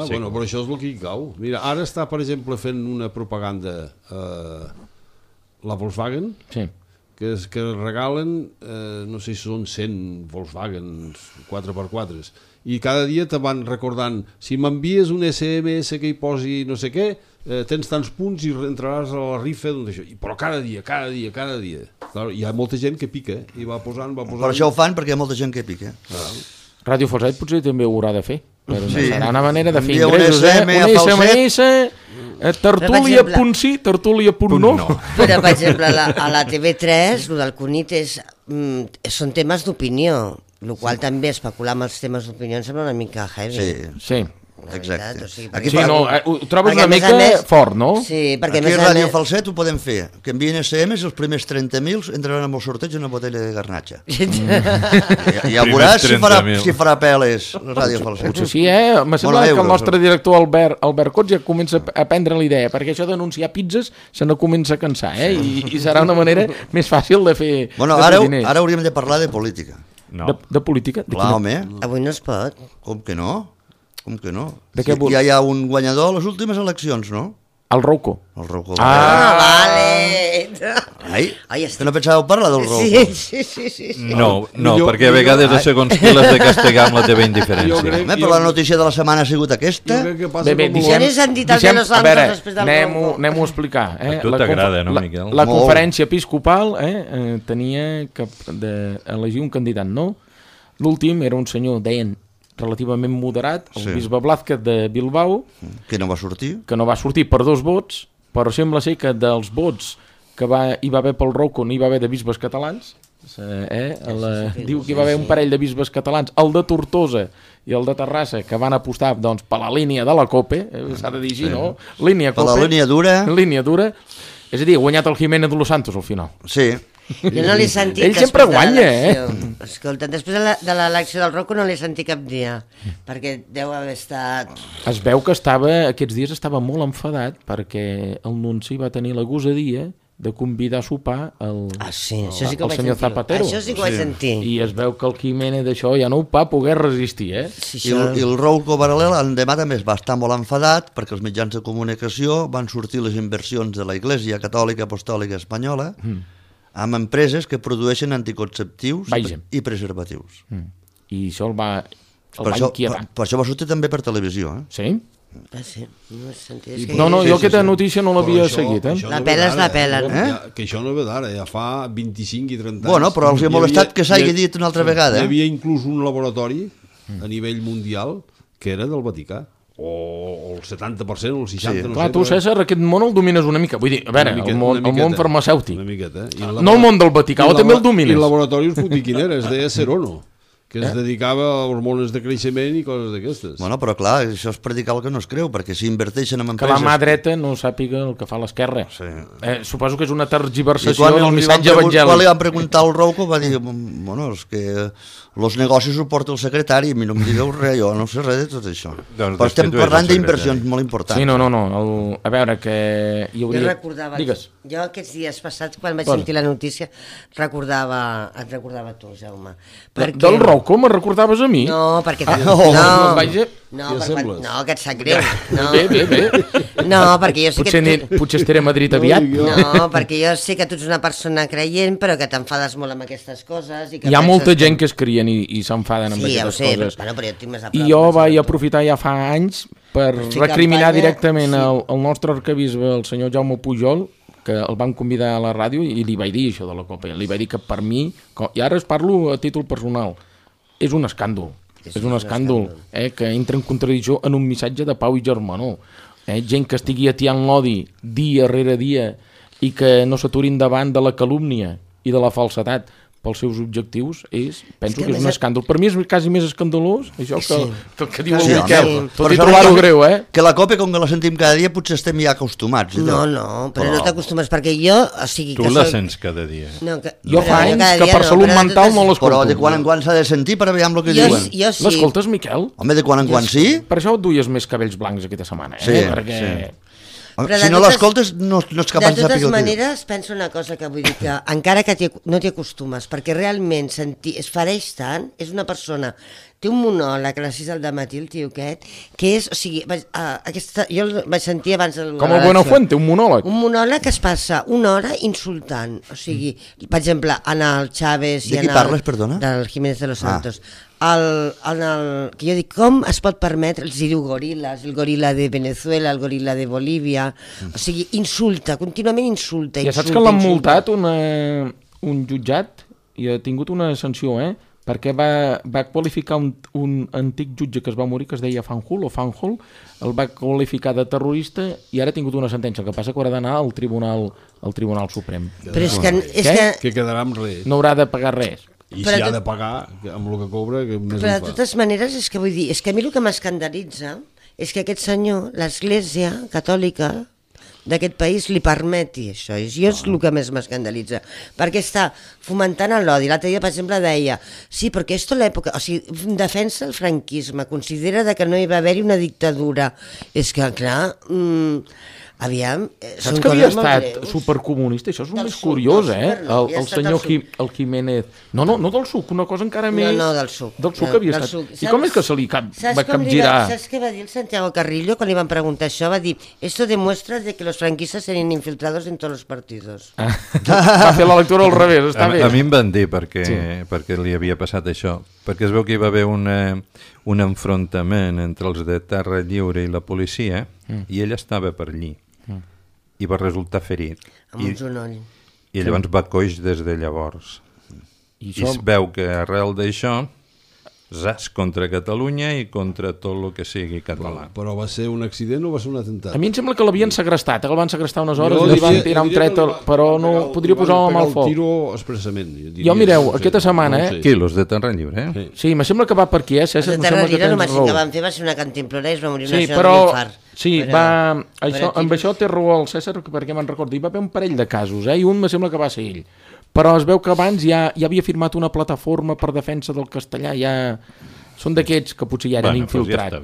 Bueno, però això és el que hi cau. Mira, ara està, per exemple, fent una propaganda la Volkswagen, que regalen, no sé si són 100 Volkswagen 4x4, i cada dia te van recordant, si m'envies un SMS que hi posi no sé què, tens tants punts i entraràs a la rifa, però cada dia. Clar, hi ha molta gent que pica i va posant. Per això ho fan, perquè hi ha molta gent que pica. Ràdio Falset potser també ho haurà de fer. Sí. Serà una manera de fer Envia un ingressos, SM un SMS, tertúlia.sí, tertúlia.no. Però, per exemple, a la TV3, el del Cunit són temes d'opinió, el qual també especular amb els temes d'opinió em sembla una mica heavy. Sí. Exacte. Ho trobes una mica fort, no? Sí, perquè aquí a Ràdio Falset ho podem fer, que envien SMS, els primers 30.000 entraran amb el sorteig una botella de garnatxa. Ja veuràs si farà peles Ràdio Falset. Potser sí, me sembla que el nostre director Albert Cots ja comença a prendre l'idea, perquè això d'anunciar pizzas se no comença a cansar, i serà una manera més fàcil de fer diners. Ara hauríem de parlar de política. De política? Clar, home. Avui no es pot. Com que no? De què ja hi ha un guanyador a les últimes eleccions, no? El Rouco. Vale. Que no pensàveu parlar del Rouco? Sí. No, perquè a vegades segons qui l'has de castigar amb la teva indiferència. Però la notícia de la setmana ha sigut aquesta. Anem-ho a explicar. A tu t'agrada, no, Miquel? La conferència episcopal tenia d'elegir un candidat nou. L'últim era un senyor, deien, relativament moderat, el bisbe Blázquez de Bilbao, que no va sortir per 2 vots, però sembla ser que dels vots que hi va haver pel Rouco no hi va haver de bisbes catalans, diu que hi va haver un parell de bisbes catalans, el de Tortosa i el de Terrassa, que van apostar per la línia de la COPE, s'ha de dir així, no? Línia COPE. La línia dura. És a dir, ha guanyat el Jiménez de los Santos al final. Sí. Jo no l'he sentit. Ell sempre guanya, Escolta, després de l'elecció del Rouco no l'he sentit cap dia, perquè deu haver estat... Es veu que aquests dies estava molt enfadat perquè el nunci va tenir la gosadia de convidar a sopar el senyor Zapatero. Això sí que ho vaig sentir. I es veu que el Jiménez d'això ja no ho va poder resistir, I el Rouco Paral·lel l'endemà també va estar molt enfadat perquè els mitjans de comunicació van sortir les inversions de la Iglesia Catòlica Apostòlica Espanyola amb empreses que produeixen anticonceptius i preservatius. I això el va inquietar. Per això va sortir també per televisió. Sí? Sí. No, jo aquesta notícia no l'havia seguit. La pela és la pela. Que això no ve d'ara, ja fa 25 i 30 anys. Bueno, però els he molestat que s'hagi dit una altra vegada. Hi havia inclús un laboratori a nivell mundial que era del Vaticà. O el 70% o el 60%, no sé. Clar, tu, César, aquest món el domines una mica. Vull dir, a veure, el món farmacèutic. Una miqueta. No el món del Vaticà, o també el domines. I el laboratori us puc dir quin era, es deia Serono. que es dedicava a hormones de creixement i coses d'aquestes. Bueno, però clar, això és predicar el que no es creu, perquè si inverteixen en Que empreses... la mà dreta no sàpiga el que fa l'esquerra. Sí. Suposo que és una tergiversació del missatge evangèlic. Quan li van preguntar al Rouco va dir, bueno, és que els negocis ho porta el secretari, a mi no em digueu res, jo no sé res de tot això. Doncs però estem parlant el d'inversions molt importants. Sí, no. A veure, que hi hauria... Jo recordava... Digues. Jo aquests dies passats, quan vaig sentir la notícia, et recordava tu, Jaume. Del Rouco me'n recordaves a mi? No, perquè... No, que et sap greu. No. Bé. No, perquè jo sé que... Potser estaré a Madrid aviat. No, perquè jo sé que tu ets una persona creient, però que t'enfades molt amb aquestes coses. I que Hi ha molta gent que es crien i s'enfaden amb aquestes coses. Bueno, però jo tinc més a prop. I jo vaig aprofitar ja fa anys per recriminar directament el nostre arquebisbe, el senyor Jaume Pujol, que el van convidar a la ràdio i li vaig dir això de la Copa. Li vaig dir que per mi, i ara es parlo a títol personal, és un escàndol. És un escàndol que entra en contradicció en un missatge de pau i germanor. Gent que estigui atiant l'odi dia rere dia i que no s'aturin davant de la calúmnia i de la falsedat pels seus objectius, penso que és un escàndol. Per mi és quasi més escandalós això que diu el Miquel. Tot i trobar-ho greu, Que la Copa, com que la sentim cada dia, potser estem ja acostumats. No, però no t'acostumes, perquè jo... Tu la sents cada dia. Jo fa anys que per salut mental no l'escolto. Però de quan en quan s'ha de sentir per veure el que diuen. L'escoltes, Miquel? Home, de quan en quan sí. Per això et duies més cabells blancs aquesta setmana, perquè... Si no l'escoltes no ets capaç de saber. De totes maneres, penso una cosa que vull dir, que encara que no t'hi acostumes, perquè realment es fareix tant, és una persona, té un monòleg a les 6 del matí, el tio aquest, que és, o sigui, jo el vaig sentir abans de... Com el Buenafuente, un monòleg. Un monòleg que es passa una hora insultant, o sigui, per exemple, en el Chávez... De qui parles, perdona? Del Jiménez de los Santos. Que jo dic, com es pot permetre, els diu goril·les, el goril·la de Venezuela, el goril·la de Bolívia, o sigui, insulta, contínuament insulta. Ja saps que l'han multat un jutjat i ha tingut una sanció, perquè va qualificar un antic jutge que es va morir, que es deia Fanjul, el va qualificar de terrorista i ara ha tingut una sentència, el que passa que haurà d'anar al Tribunal Suprem. Però és que... Que quedarà amb res. No haurà de pagar res. I si ha de pagar amb el que cobra, que més però de totes maneres, és que vull dir, és que a mi el que m'escandalitza és que aquest senyor, l'Església Catòlica d'aquest país li permeti això, i és el que més m'escandalitza, perquè està fomentant l'odi. L'altre dia, per exemple, deia, sí, perquè esto l'època, o sigui, defensa el franquisme, considera que no hi va haver-hi una dictadura. És que, clar, aviam... Saps que havia estat supercomunista? Això és el més curiós, el senyor Jiménez... No del suc, una cosa encara més... No, del suc. Del suc havia estat. I com és que se li va capgirar? Saps què va dir el Santiago Carrillo quan li van preguntar això? Va dir, esto demuestra de que los franquistas serían infiltrados en todos los partidos. Va fer la lectura al revés, està bé. A mi em van dir perquè li havia passat això, perquè es veu que hi va haver un enfrontament entre els de Terra Lliure i la policia i ell estava per allí i va resultar ferit. Amb un genoll. I llavors va coix des de llavors. I es veu que arrel d'això zas contra Catalunya i contra tot el que sigui català. Però va ser un accident o va ser un atemptat? A mi em sembla que l'havien segrestat, el van segrestar unes hores i li van tirar un tret, però no podria posar-ho amb el foc. El tiro expressament. Jo, mireu, aquesta setmana... Qui, los de Terra Lliure? Sí, me sembla que va per aquí, César. Els de Terra Lliure només que van fer va ser una cantimplora i es va morir una senyora d'infart. Sí, amb això té raó el César, perquè me'n recordo, hi va haver un parell de casos, i un me sembla que va ser ell. Però es veu que abans ja havia firmat una plataforma per defensa del castellà, són d'aquests que potser ja eren infiltrats.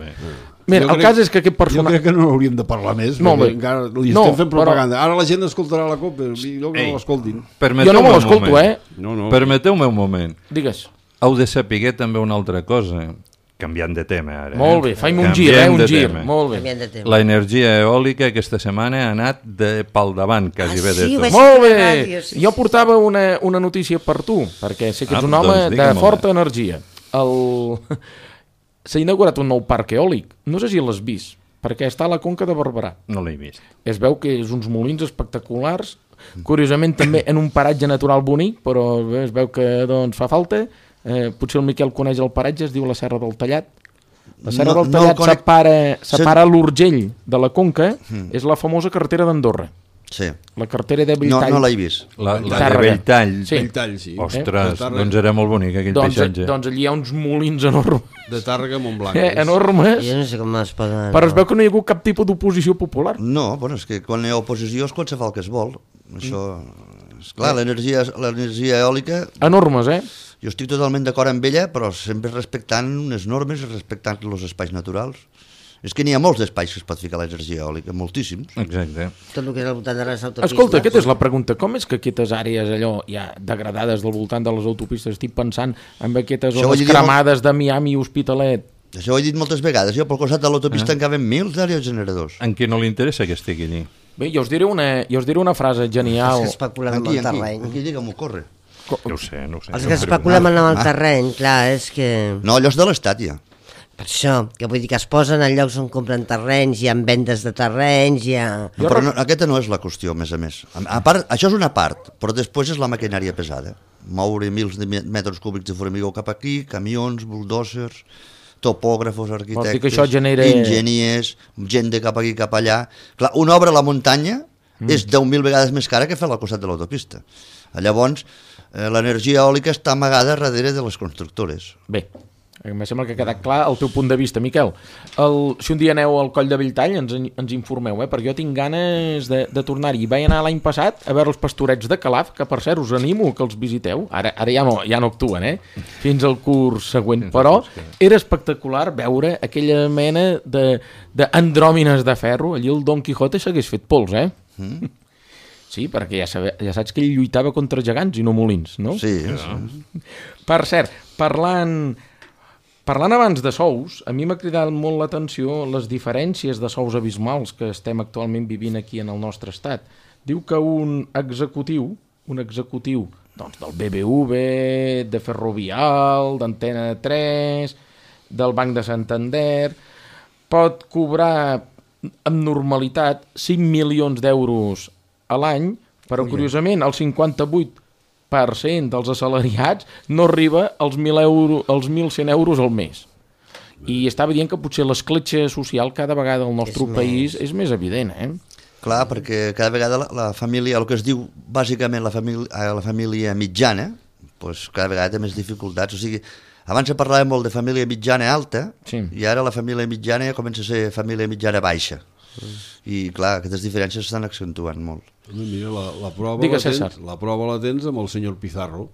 Mira, el cas és que aquest personatge... Jo crec que no hauríem de parlar més, perquè encara li estem fent propaganda. Ara la gent escoltarà la COP, jo que no l'escoltin. Jo no me l'escolto, Permeteu-me un moment. Digues. Heu de saber també una altra cosa, canviant de tema ara. Molt bé, faim un gir, un gir. Molt bé. La energia eòlica aquesta setmana ha anat pel davant, quasi bé de tot. Molt bé, jo portava una notícia per tu, perquè sé que ets un home de forta energia. S'ha inaugurat un nou parc eòlic, no sé si l'has vist, perquè està a la Conca de Barberà. No l'he vist. Es veu que és uns molins espectaculars, curiosament també en un paratge natural bonic, però es veu que fa falta. Potser el Miquel coneix el paratge, es diu la Serra del Tallat. La Serra del Tallat separa l'Urgell de la Conca, és la famosa carretera d'Andorra. Sí. La cartera de No, Belltall. no l'he vist. La de Tàrrega. Belltall. Sí. Belltall, sí. Ostres, Tàrrega. doncs era molt bonic aquell paisatge. Doncs allí hi ha uns molins enormes. De Tàrrega a Montblanc. Enormes. Jo no sé com es poden... Però es veu que no hi ha hagut cap tipus d'oposició popular. No, bueno, és que quan hi ha oposició és quan se fa el que es vol. Això... És clar, l'energia eòlica... Enormes, Jo estic totalment d'acord amb ella, però sempre respectant unes normes i respectant els espais naturals. És que n'hi ha molts espais que es pot ficar l'energia eòlica, moltíssims. Exacte. Tot el que és al voltant de les autopistes. Escolta, aquesta és la pregunta. Com és que aquestes àrees allò ja degradades del voltant de les autopistes, estic pensant en aquestes Això ho zones he dit cremades de Miami i Hospitalet? Això ho he dit moltes vegades. Jo pel costat de l'autopista en caben 1.000 d'aerogeneradors. En qui no li interessa que estigui allí? Bé, jo us diré una frase genial. Els que especulen amb el terreny. Aquí, digue'm-ho, corre. No ho sé, no ho sé. Els que especulen amb el terreny, clar, és que... No, allò és de l'Estat, ja. Per això, que vull dir que es posen en llocs on compren terrenys, hi ha vendes de terrenys, hi ha... No, però no, aquesta no és la qüestió, a més. A part, això és una part, però després és la maquinària pesada. Moure mils de metres cúbics de formigó cap aquí, camions, bulldozers, topògrafos, Vols dir arquitectes, que això genera... enginyers, gent de cap aquí, cap allà... Clar, una obra a la muntanya és 10.000 vegades més cara que fer al costat de l'autopista. Llavors, l'energia eòlica està amagada darrere de les constructores. Bé, em sembla que ha quedat clar el teu punt de vista, Miquel. Si un dia aneu al Coll de Belltall, ens informeu, perquè jo tinc ganes de tornar-hi. Vaig anar l'any passat a veure els pastorets de Calaf, que per cert us animo que els visiteu. Ara ja no actuen, fins al curs següent. Però era espectacular veure aquella mena d'andròmines de ferro. Allí el Don Quijote s'hagués fet pols, Sí, perquè ja saps que ell lluitava contra gegants i no molins, no? Sí. Per cert, parlant abans de sous, a mi m'ha cridat molt l'atenció les diferències de sous abismals que estem actualment vivint aquí en el nostre estat. Diu que un executiu doncs, del BBV, de Ferrovial, d'Antena 3, del Banc de Santander, pot cobrar amb normalitat 5 milions d'euros a l'any, però curiosament el 58% dels assalariats no arriba als 1.100 euros al mes. I estava dient que potser l'escletxa social cada vegada al nostre país és més evident, Clar, perquè cada vegada la família, el que es diu bàsicament la família mitjana, doncs cada vegada té més dificultats. O sigui, abans se parlava molt de família mitjana alta, i ara la família mitjana ja comença a ser família mitjana baixa. I clar, aquestes diferències s'estan accentuant molt. Mira, la prova la tens amb el senyor Pizarro.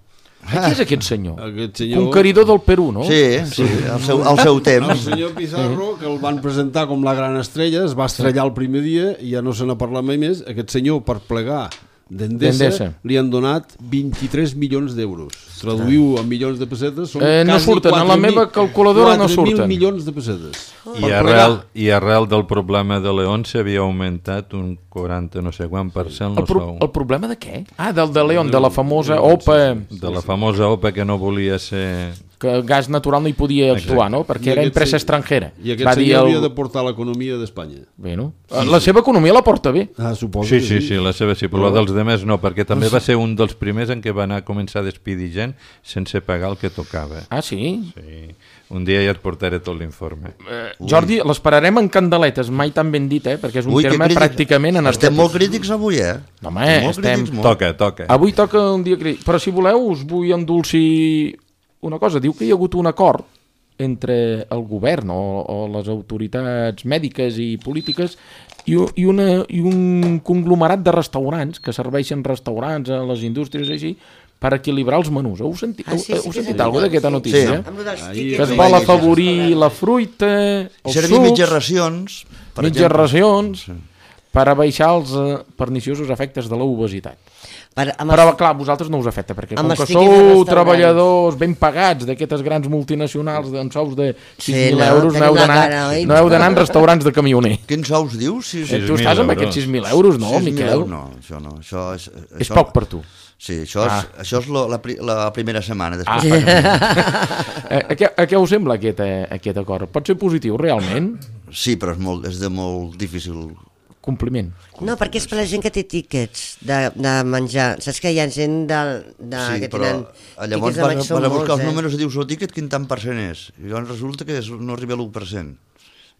Qui és aquest senyor? Aquest senyor... Conqueridor del Perú, no? Sí, al seu temps. El senyor Pizarro, que el van presentar com la gran estrella, es va estrellar el primer dia i ja no se n'ha parlat mai més. Aquest senyor, per plegar d'Endesa, li han donat 23 milions d'euros. Traduïu en milions de pessetes, són no surten, a la meva calculadora no surten. 4.000 milions de pessetes. I arrel del problema de León s'havia augmentat un 40 no sé quant per cent el sou. El problema de què? Del de León, de la famosa OPA. De la famosa OPA que no volia ser... Que gas natural no hi podia actuar, no? Perquè era empresa estrangera. I aquest senyor havia de portar l'economia d'Espanya. Bé, no? La seva economia la porta bé. Suposo que sí. Sí, la seva sí, però la dels demés no, perquè també va ser un dels primers en què va anar a començar a despedir gent sense pagar el que tocava. Ah, sí? Sí. Un dia ja et portaré tot l'informe. Jordi, l'esperarem en candeletes, mai tan ben dit, perquè és un terme pràcticament energètic. Estem molt crítics avui, No, home, estem... Toca. Avui toca un dia crític. Però si voleu, us vull endolcir una cosa. Diu que hi ha hagut un acord entre el govern o les autoritats mèdiques i polítiques i un conglomerat de restaurants que serveixen restaurants a les indústries així per equilibrar els menús. Heu sentit alguna cosa d'aquesta notícia? Sí. Que es vol afavorir la fruita, els servir sucs... mitges racions, per abaixar els perniciosos efectes de l'obesitat. Però, clar, a vosaltres no us afecta, perquè com que sou treballadors ben pagats d'aquestes grans multinacionals amb sous de 6.000 euros, no heu d'anar en restaurants de camioner. Quins sous dius? Tu estàs amb aquests 6.000 euros, no, Miquel? No, això no. És poc per tu. Sí, això és la primera setmana. A què us sembla aquest acord? Pot ser positiu, realment? Sí, però és de molt difícil compliment. No, perquè és per la gent que té tíquets de menjar. Saps que hi ha gent que tenen... Llavors vas a buscar els números i dius el tíquet quin tant % és. I llavors resulta que no arriba a l'1%.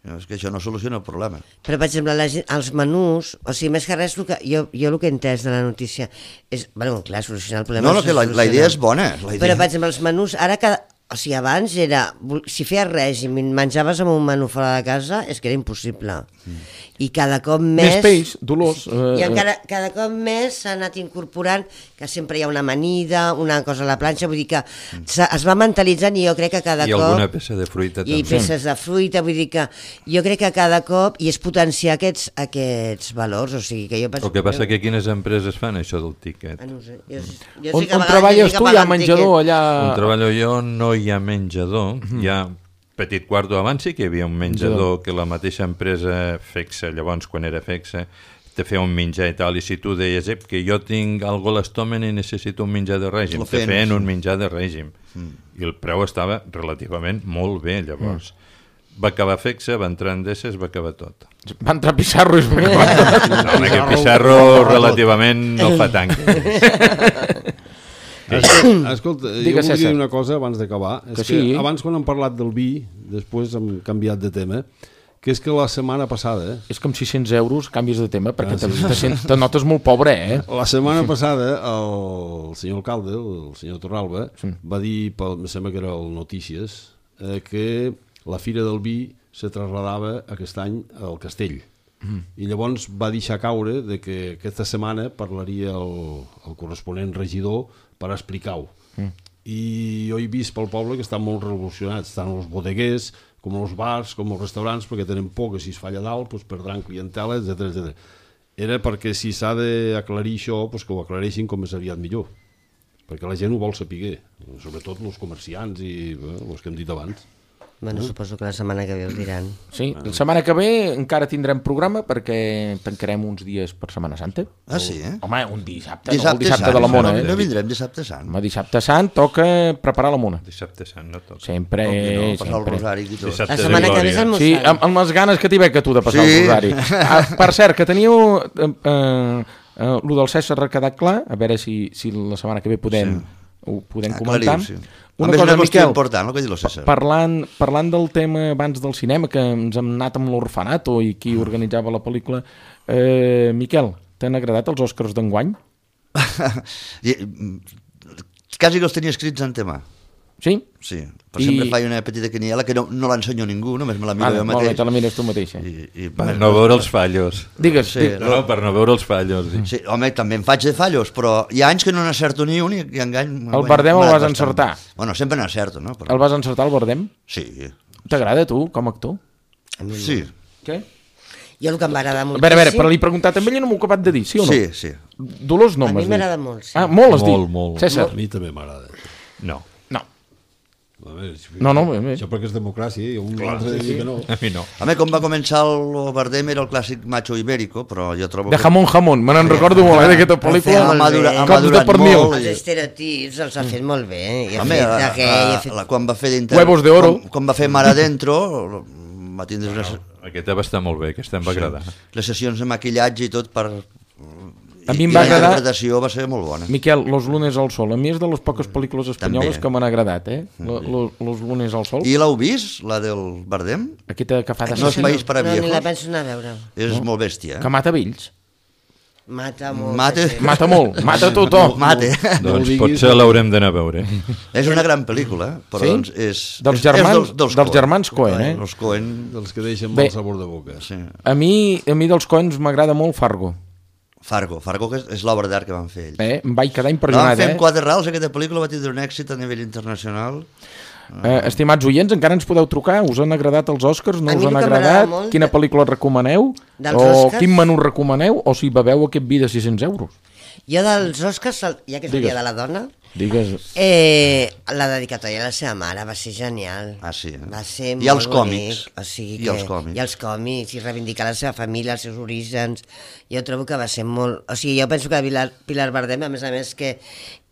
És que això no soluciona el problema. Però, per exemple, els menús, o sigui, més que res, jo el que he entès de la notícia és, bueno, clar, solucionar el problema... No, que la idea és bona. Però, per exemple, els menús, ara que... O sigui, abans era... Si feies règim i menjaves amb un menú fora de casa, és que era impossible. I cada cop més... Més peix, Dolors. I encara cada cop més s'ha anat incorporant que sempre hi ha una amanida, una cosa a la planxa, vull dir que es va mentalitzant i jo crec que cada cop... I alguna peça de fruita també. I peces de fruita, vull dir que jo crec que cada cop, i és potenciar aquests valors, o sigui que jo penso... El que passa que quines empreses fan això del tiquet? No sé, jo On treballes tu? Hi ha menjador allà? On treballo jo no hi ha menjador, hi ha petit quarto abans sí que hi havia un menjador que la mateixa empresa Fexa, llavors quan era Fexa, te feia un menjar i tal, i si tu deies que jo tinc algo a l'estómac i necessito un menjar de règim, te feien un menjar de règim, i el preu estava relativament molt bé, llavors. Va acabar Fexa, va entrar Endesa, es va acabar tot. Va entrar Pissarro i es va acabar tot. No, home, que Pissarro relativament no fa tant. Escolta, jo Digues, voldria César. dir una cosa abans d'acabar. És que sí. abans quan hem parlat del vi, després hem canviat de tema, que és que la setmana passada... És com 600 euros, canvis de tema, perquè te notes molt pobre, La setmana passada el senyor alcalde, el senyor Torralba, va dir, em sembla que era el Notícies, que la Fira del Vi se trasladava aquest any al Castell. I llavors va deixar caure de que aquesta setmana parlaria el corresponent regidor per explicar-ho. I jo he vist pel poble que estan molt revolucionats, tant els bodeguers com els bars, com els restaurants, perquè tenen por que si es falla dalt doncs perdran clientela, etc. Era perquè si s'ha d'aclarir això, doncs que ho aclareixin com més aviat millor, perquè la gent ho vol saber, sobretot els comerciants i els que hem dit abans. Bueno, suposo que la setmana que ve ho diran. Sí, la setmana que ve encara tindrem programa perquè tancarem uns dies per Setmana Santa. Ah, sí, Home, un dissabte, Dissabte no el dissabte sant, de la Mona. no vindrem dissabte sant. Home, dissabte sant toca preparar la Mona. Dissabte sant, no tot. Sempre, No, passar el sempre. rosari i tot. Dissabte La de setmana que ve és glòria. el Sí, mossari. amb les ganes que t'hi veig a tu de passar Sí. el rosari. Per cert, que teníeu lo del César ha quedat clar, a veure si la setmana que ve ho podem comentar. Sí. Una qüestió important, el que diu el César. Parlant del tema abans del cinema, que ens hem anat amb l'Orfanato i qui organitzava la pel·lícula, Miquel, t'han agradat els Oscars d'enguany? Quasi que els tenia escrits en tema. Sí? Sí, però sempre faig una petita quiniela que no l'ensenyo a ningú, només me la miro jo Molt bé, mateix. te la mires tu mateixa. Per no veure els fallos. Digues, Sí. No, per no veure els fallos. Sí, home, també em faig de fallos, però hi ha anys que no n'encerto ni un i engany... El Bardem el vas encertar. Bueno, sempre n'encerto, no? Però... El vas encertar, el Bardem? Sí. T'agrada a tu, com a actor? Sí. Què? Jo el que em va agradar A moltíssim... veure, però li he preguntat a ell i no m'ho he acabat de dir, sí o no? Sí, sí. Dolors no A mi m'has dit. m'agrada molt, sí. Ah, molt has dit? Molt. César? A mi també m'agrada. No, No. A veure, No, això perquè és democràcia i un altre diu que no. a mi no. A mi, com va començar el Bardem, era el clàssic macho ibérico, però jo trobo De jamón, me n'en recordo molt, d'aquesta pel·lícula. Ha ha Cops de madurat pernil. molt. Els estereotips els ha fet molt bé. I ha Home, fet aquell... Ha fet... quan va fer Huevos de oro. quan va fer Mar Adentro, va tindre Aquesta va estar molt bé, aquesta em va agradar. les sessions de maquillatge i tot per... A mi em I va la agradar- interpretació va ser molt bona. Miquel, Los lunes al sol. A mi és de les poques pel·lícules espanyoles També. que m'han agradat, Los lunes al sol. I l'heu vist, la del Bardem? Aquesta que fa de No és país per a No, ni la viejos. penso anar a veure. És molt bèstia. que mata vells. Mata molt. Mate. sí. Mata molt, mata tothom. Mate. Doncs diguis, potser l'haurem d'anar a veure. És una gran pel·lícula, però Sí? doncs és... Dels és germans, dels Coen. germans Coen, Els Coen, Dels que deixen Bé. mal sabor de boca. sí. A mi dels Coens m'agrada molt Fargo. Fargo, que és l'obra d'art que van fer ells. Em vaig quedar La van impressionat, fer amb 4 rals, aquesta pel·lícula va tindre un èxit a nivell internacional. Estimats oients, encara ens podeu trucar. Us han agradat els Oscars? No A us mi han el que m'agrada agradat? molt Quina pel·lícula recomaneu? Dels O Oscars? quin menú recomaneu? O si beveu aquest vi de 600 euros? Jo dels Oscars, ja que és el Digues. dia de la dona, Digues... la dedicatòria a la seva mare va ser genial. Ah, sí, Va ser I molt els còmics. bonic. O sigui I que, els còmics. I els còmics, i reivindicar la seva família, els seus orígens. Jo trobo que va ser molt... O sigui, jo penso que Pilar Bardem, a més, que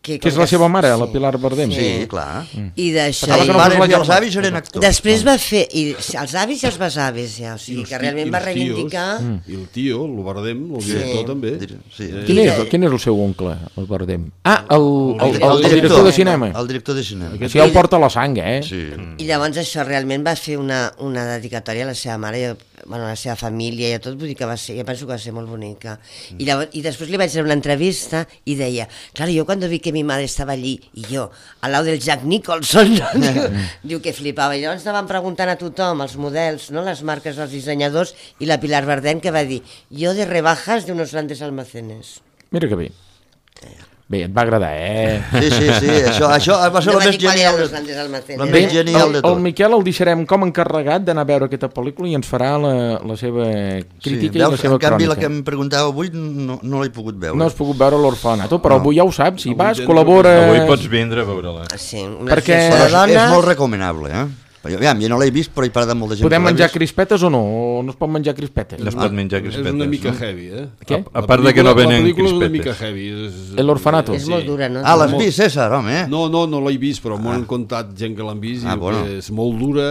Que és la seva mare, la Pilar Bardem? Sí, clar. I d'això... Pensava que no fos la I els germana. avis eren actors. Després va fer... I els avis i els besavis, ja. O sigui, que realment va reivindicar... I el tio, el Bardem, el director també. Sí. Quin és el seu oncle, el Bardem? Ah, el director de cinema. El director de cinema. Això ja el porta a la sang, eh? Sí. I llavors això realment va fer una dedicatòria a la seva mare, a la seva família i a tot, vull dir que va ser, jo penso que va ser molt bonica. I després li vaig fer una entrevista i deia, claro, yo cuando vi que mi madre estaba allí y yo, al lado del Jack Nicholson, diu que flipava. I llavors estaven preguntant a tothom, els models, no? Les marques dels dissenyadors, i la Pilar Bardem que va dir, yo de rebajas de unos grandes almacenes. Mira que bé. Bé, et va agradar, eh? Sí, això va ser No el va més dir qual genial. eren los grandes almacenes. El més genial de El tot. Miquel el deixarem com encarregat d'anar a veure aquesta pel·lícula i ens farà la seva crítica i la seva en canvi, la que crònica. em preguntava avui no l'he pogut veure. No has pogut veure l'Orfanato, però avui ja ho saps, si vas, col·labora... Avui pots vindre a veure-la. Sí, Perquè- Però la dona... és molt recomanable, eh? Aviam, jo no l'he vist, però he parlat amb molta gent. Podem que l'ha menjar vist. crispetes o no? O no es pot menjar crispetes? No es pot menjar És crispetes. una mica no? heavy, eh? Què? A part de que no venen La pel·lícula és una mica crispetes. heavy. L'Orfanato. És molt dura, no? Ah, l'has vist, César, home? No l'he vist, però m'ho han contat gent que l'han vist i diu bueno. que és molt dura.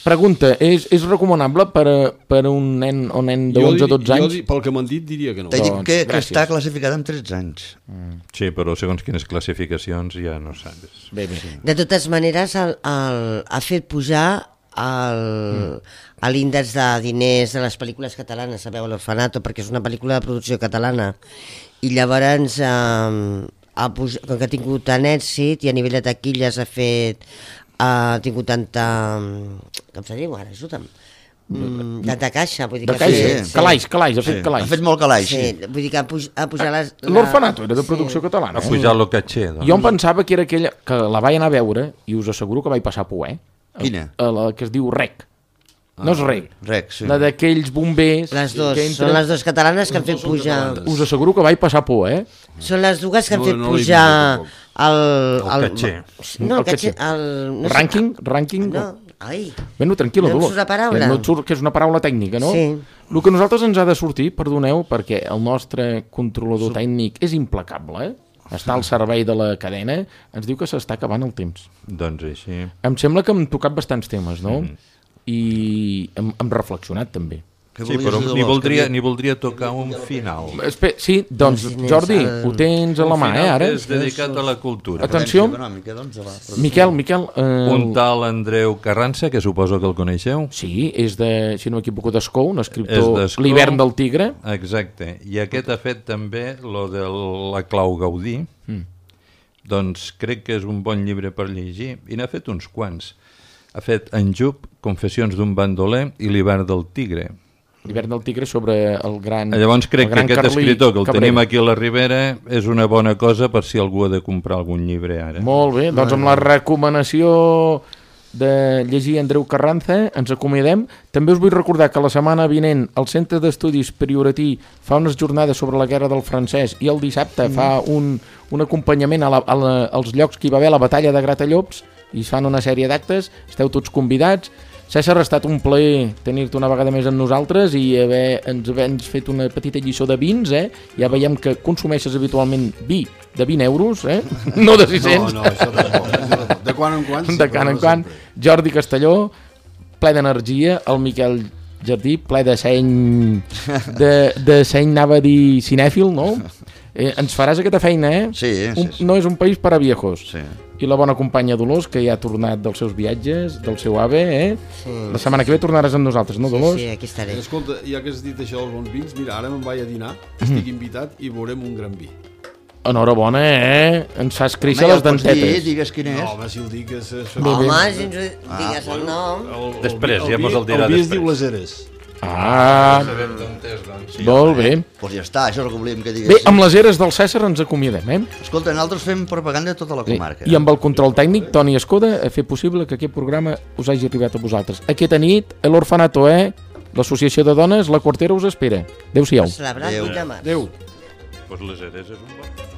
Pregunta, és recomanable per a un nen o nen de 11 o 12 anys? Pel que m'han dit diria que no. T'he dit Doncs, que gràcies. està classificada amb 13 anys. Sí, però segons quines classificacions ja no saps. Bé. De totes maneres, ha fet pujar l'índex de diners de les pel·lícules catalanes, sabeu, l'Orfanato, perquè és una pel·lícula de producció catalana. I llavors, com que ha tingut tant èxit i a nivell de taquilles ha tingut tanta... Com se diu ara? Ajuda'm. Tanta caixa, vull dir De que... caixa, calaix, ha fet calaix. Ha fet molt calaix, Sí, sí. vull dir que ha pujat les... L'Orfanato era de producció catalana. Ha pujat el caché, doncs. Jo em pensava que era aquella que la vaig anar a veure i us asseguro que vaig passar por, eh? Quina? La que es diu REC. No és REC. Rec, sí. La d'aquells bombers... Les dues, que són les dues catalanes que han fet pujar... Us asseguro que vaig passar por, eh? Són les dues que han No, fet no l'he pujar vist, el caché. No, El el caché... caché. No sé- Rànquing? No, ai, Bueno, tranquil·la, No et Dolors. surt la paraula? No et surt, que és una paraula tècnica, no? Sí. El que a nosaltres ens ha de sortir, perdoneu, perquè el nostre controlador tècnic és implacable, està al servei de la cadena, ens diu que s'està acabant el temps. Doncs així. Em sembla que hem tocat bastants temes, no? I hem reflexionat també. Què Sí, volies però dir, Dolors? ni voldria tocar un final. Sí, doncs, Jordi, ho tens a la mà, ara? És dedicat a la cultura. Atenció, Econòmica, doncs, a la- Miquel... Un tal Andreu Carranza, que suposo que el coneixeu. Sí, és de, si no m'equivoco, d'Escou, un És escriptor, d'Escou. L'hivern del tigre. Exacte. I aquest ha fet també lo de la Clau Gaudí. Doncs crec que és un bon llibre per llegir. I n'ha fet uns quants. Ha fet En Jup, Confessions d'un bandoler i L'hivern del tigre. L'hivern del tigre sobre el gran... Llavors crec el que gran aquest Carlí escriptor, que el Cabrera. tenim aquí a la Ribera, és una bona cosa per si algú ha de comprar algun llibre ara. Molt bé, doncs amb la recomanació de llegir Andreu Carranza ens acomiadem. També us vull recordar que la setmana vinent el Centre d'Estudis Prioratí fa unes jornades sobre la guerra del francès i el dissabte fa un acompanyament als llocs que hi va haver la batalla de Gratallops i es fan una sèrie d'actes, esteu tots convidats. César, ha estat un plaer tenir-te una vegada més amb nosaltres i ens fet una petita lliçó de vins, Ja veiem que consumeixes habitualment vi de 20 euros, No de 600. No, això tampoc. De quan en quan. De quan en quan. Jordi Castelló, ple d'energia, el Miquel Jardí, ple de seny, de seny, anava a dir cinèfil, no? Ens faràs aquesta feina, Sí. No és un país per a viejos. Sí. I la bona companya Dolors, que ja ha tornat dels seus viatges, del seu AVE, La setmana que ve tornaràs amb nosaltres, no, Dolors? Sí, aquí estaré. Escolta, ja que has dit això dels bons vins, mira, ara me'n vaig a dinar, estic invitat i veurem un gran vi. Enhorabona, Ens fas créixer Home, les ja el pots dir, dentetes. digues quin és. No, home, si el dic és... Home, si ens digues el nom... Després, ja mos el dirà El vi es després. diu Les Eres. Molt bé. Doncs ja està, això és el que volíem que Bé, digués. amb les eres del César ens acomiadem, Escolta, nosaltres fem propaganda a tota la comarca. I amb el control tècnic, Toni Escoda, a fer possible que aquest programa us hagi arribat a vosaltres. Aquesta nit, a l'Orfanato, l'Associació de Dones, la Quartera us espera. Adéu-siau. Celebrat 8 de març. Adéu. Doncs les eres és un bon...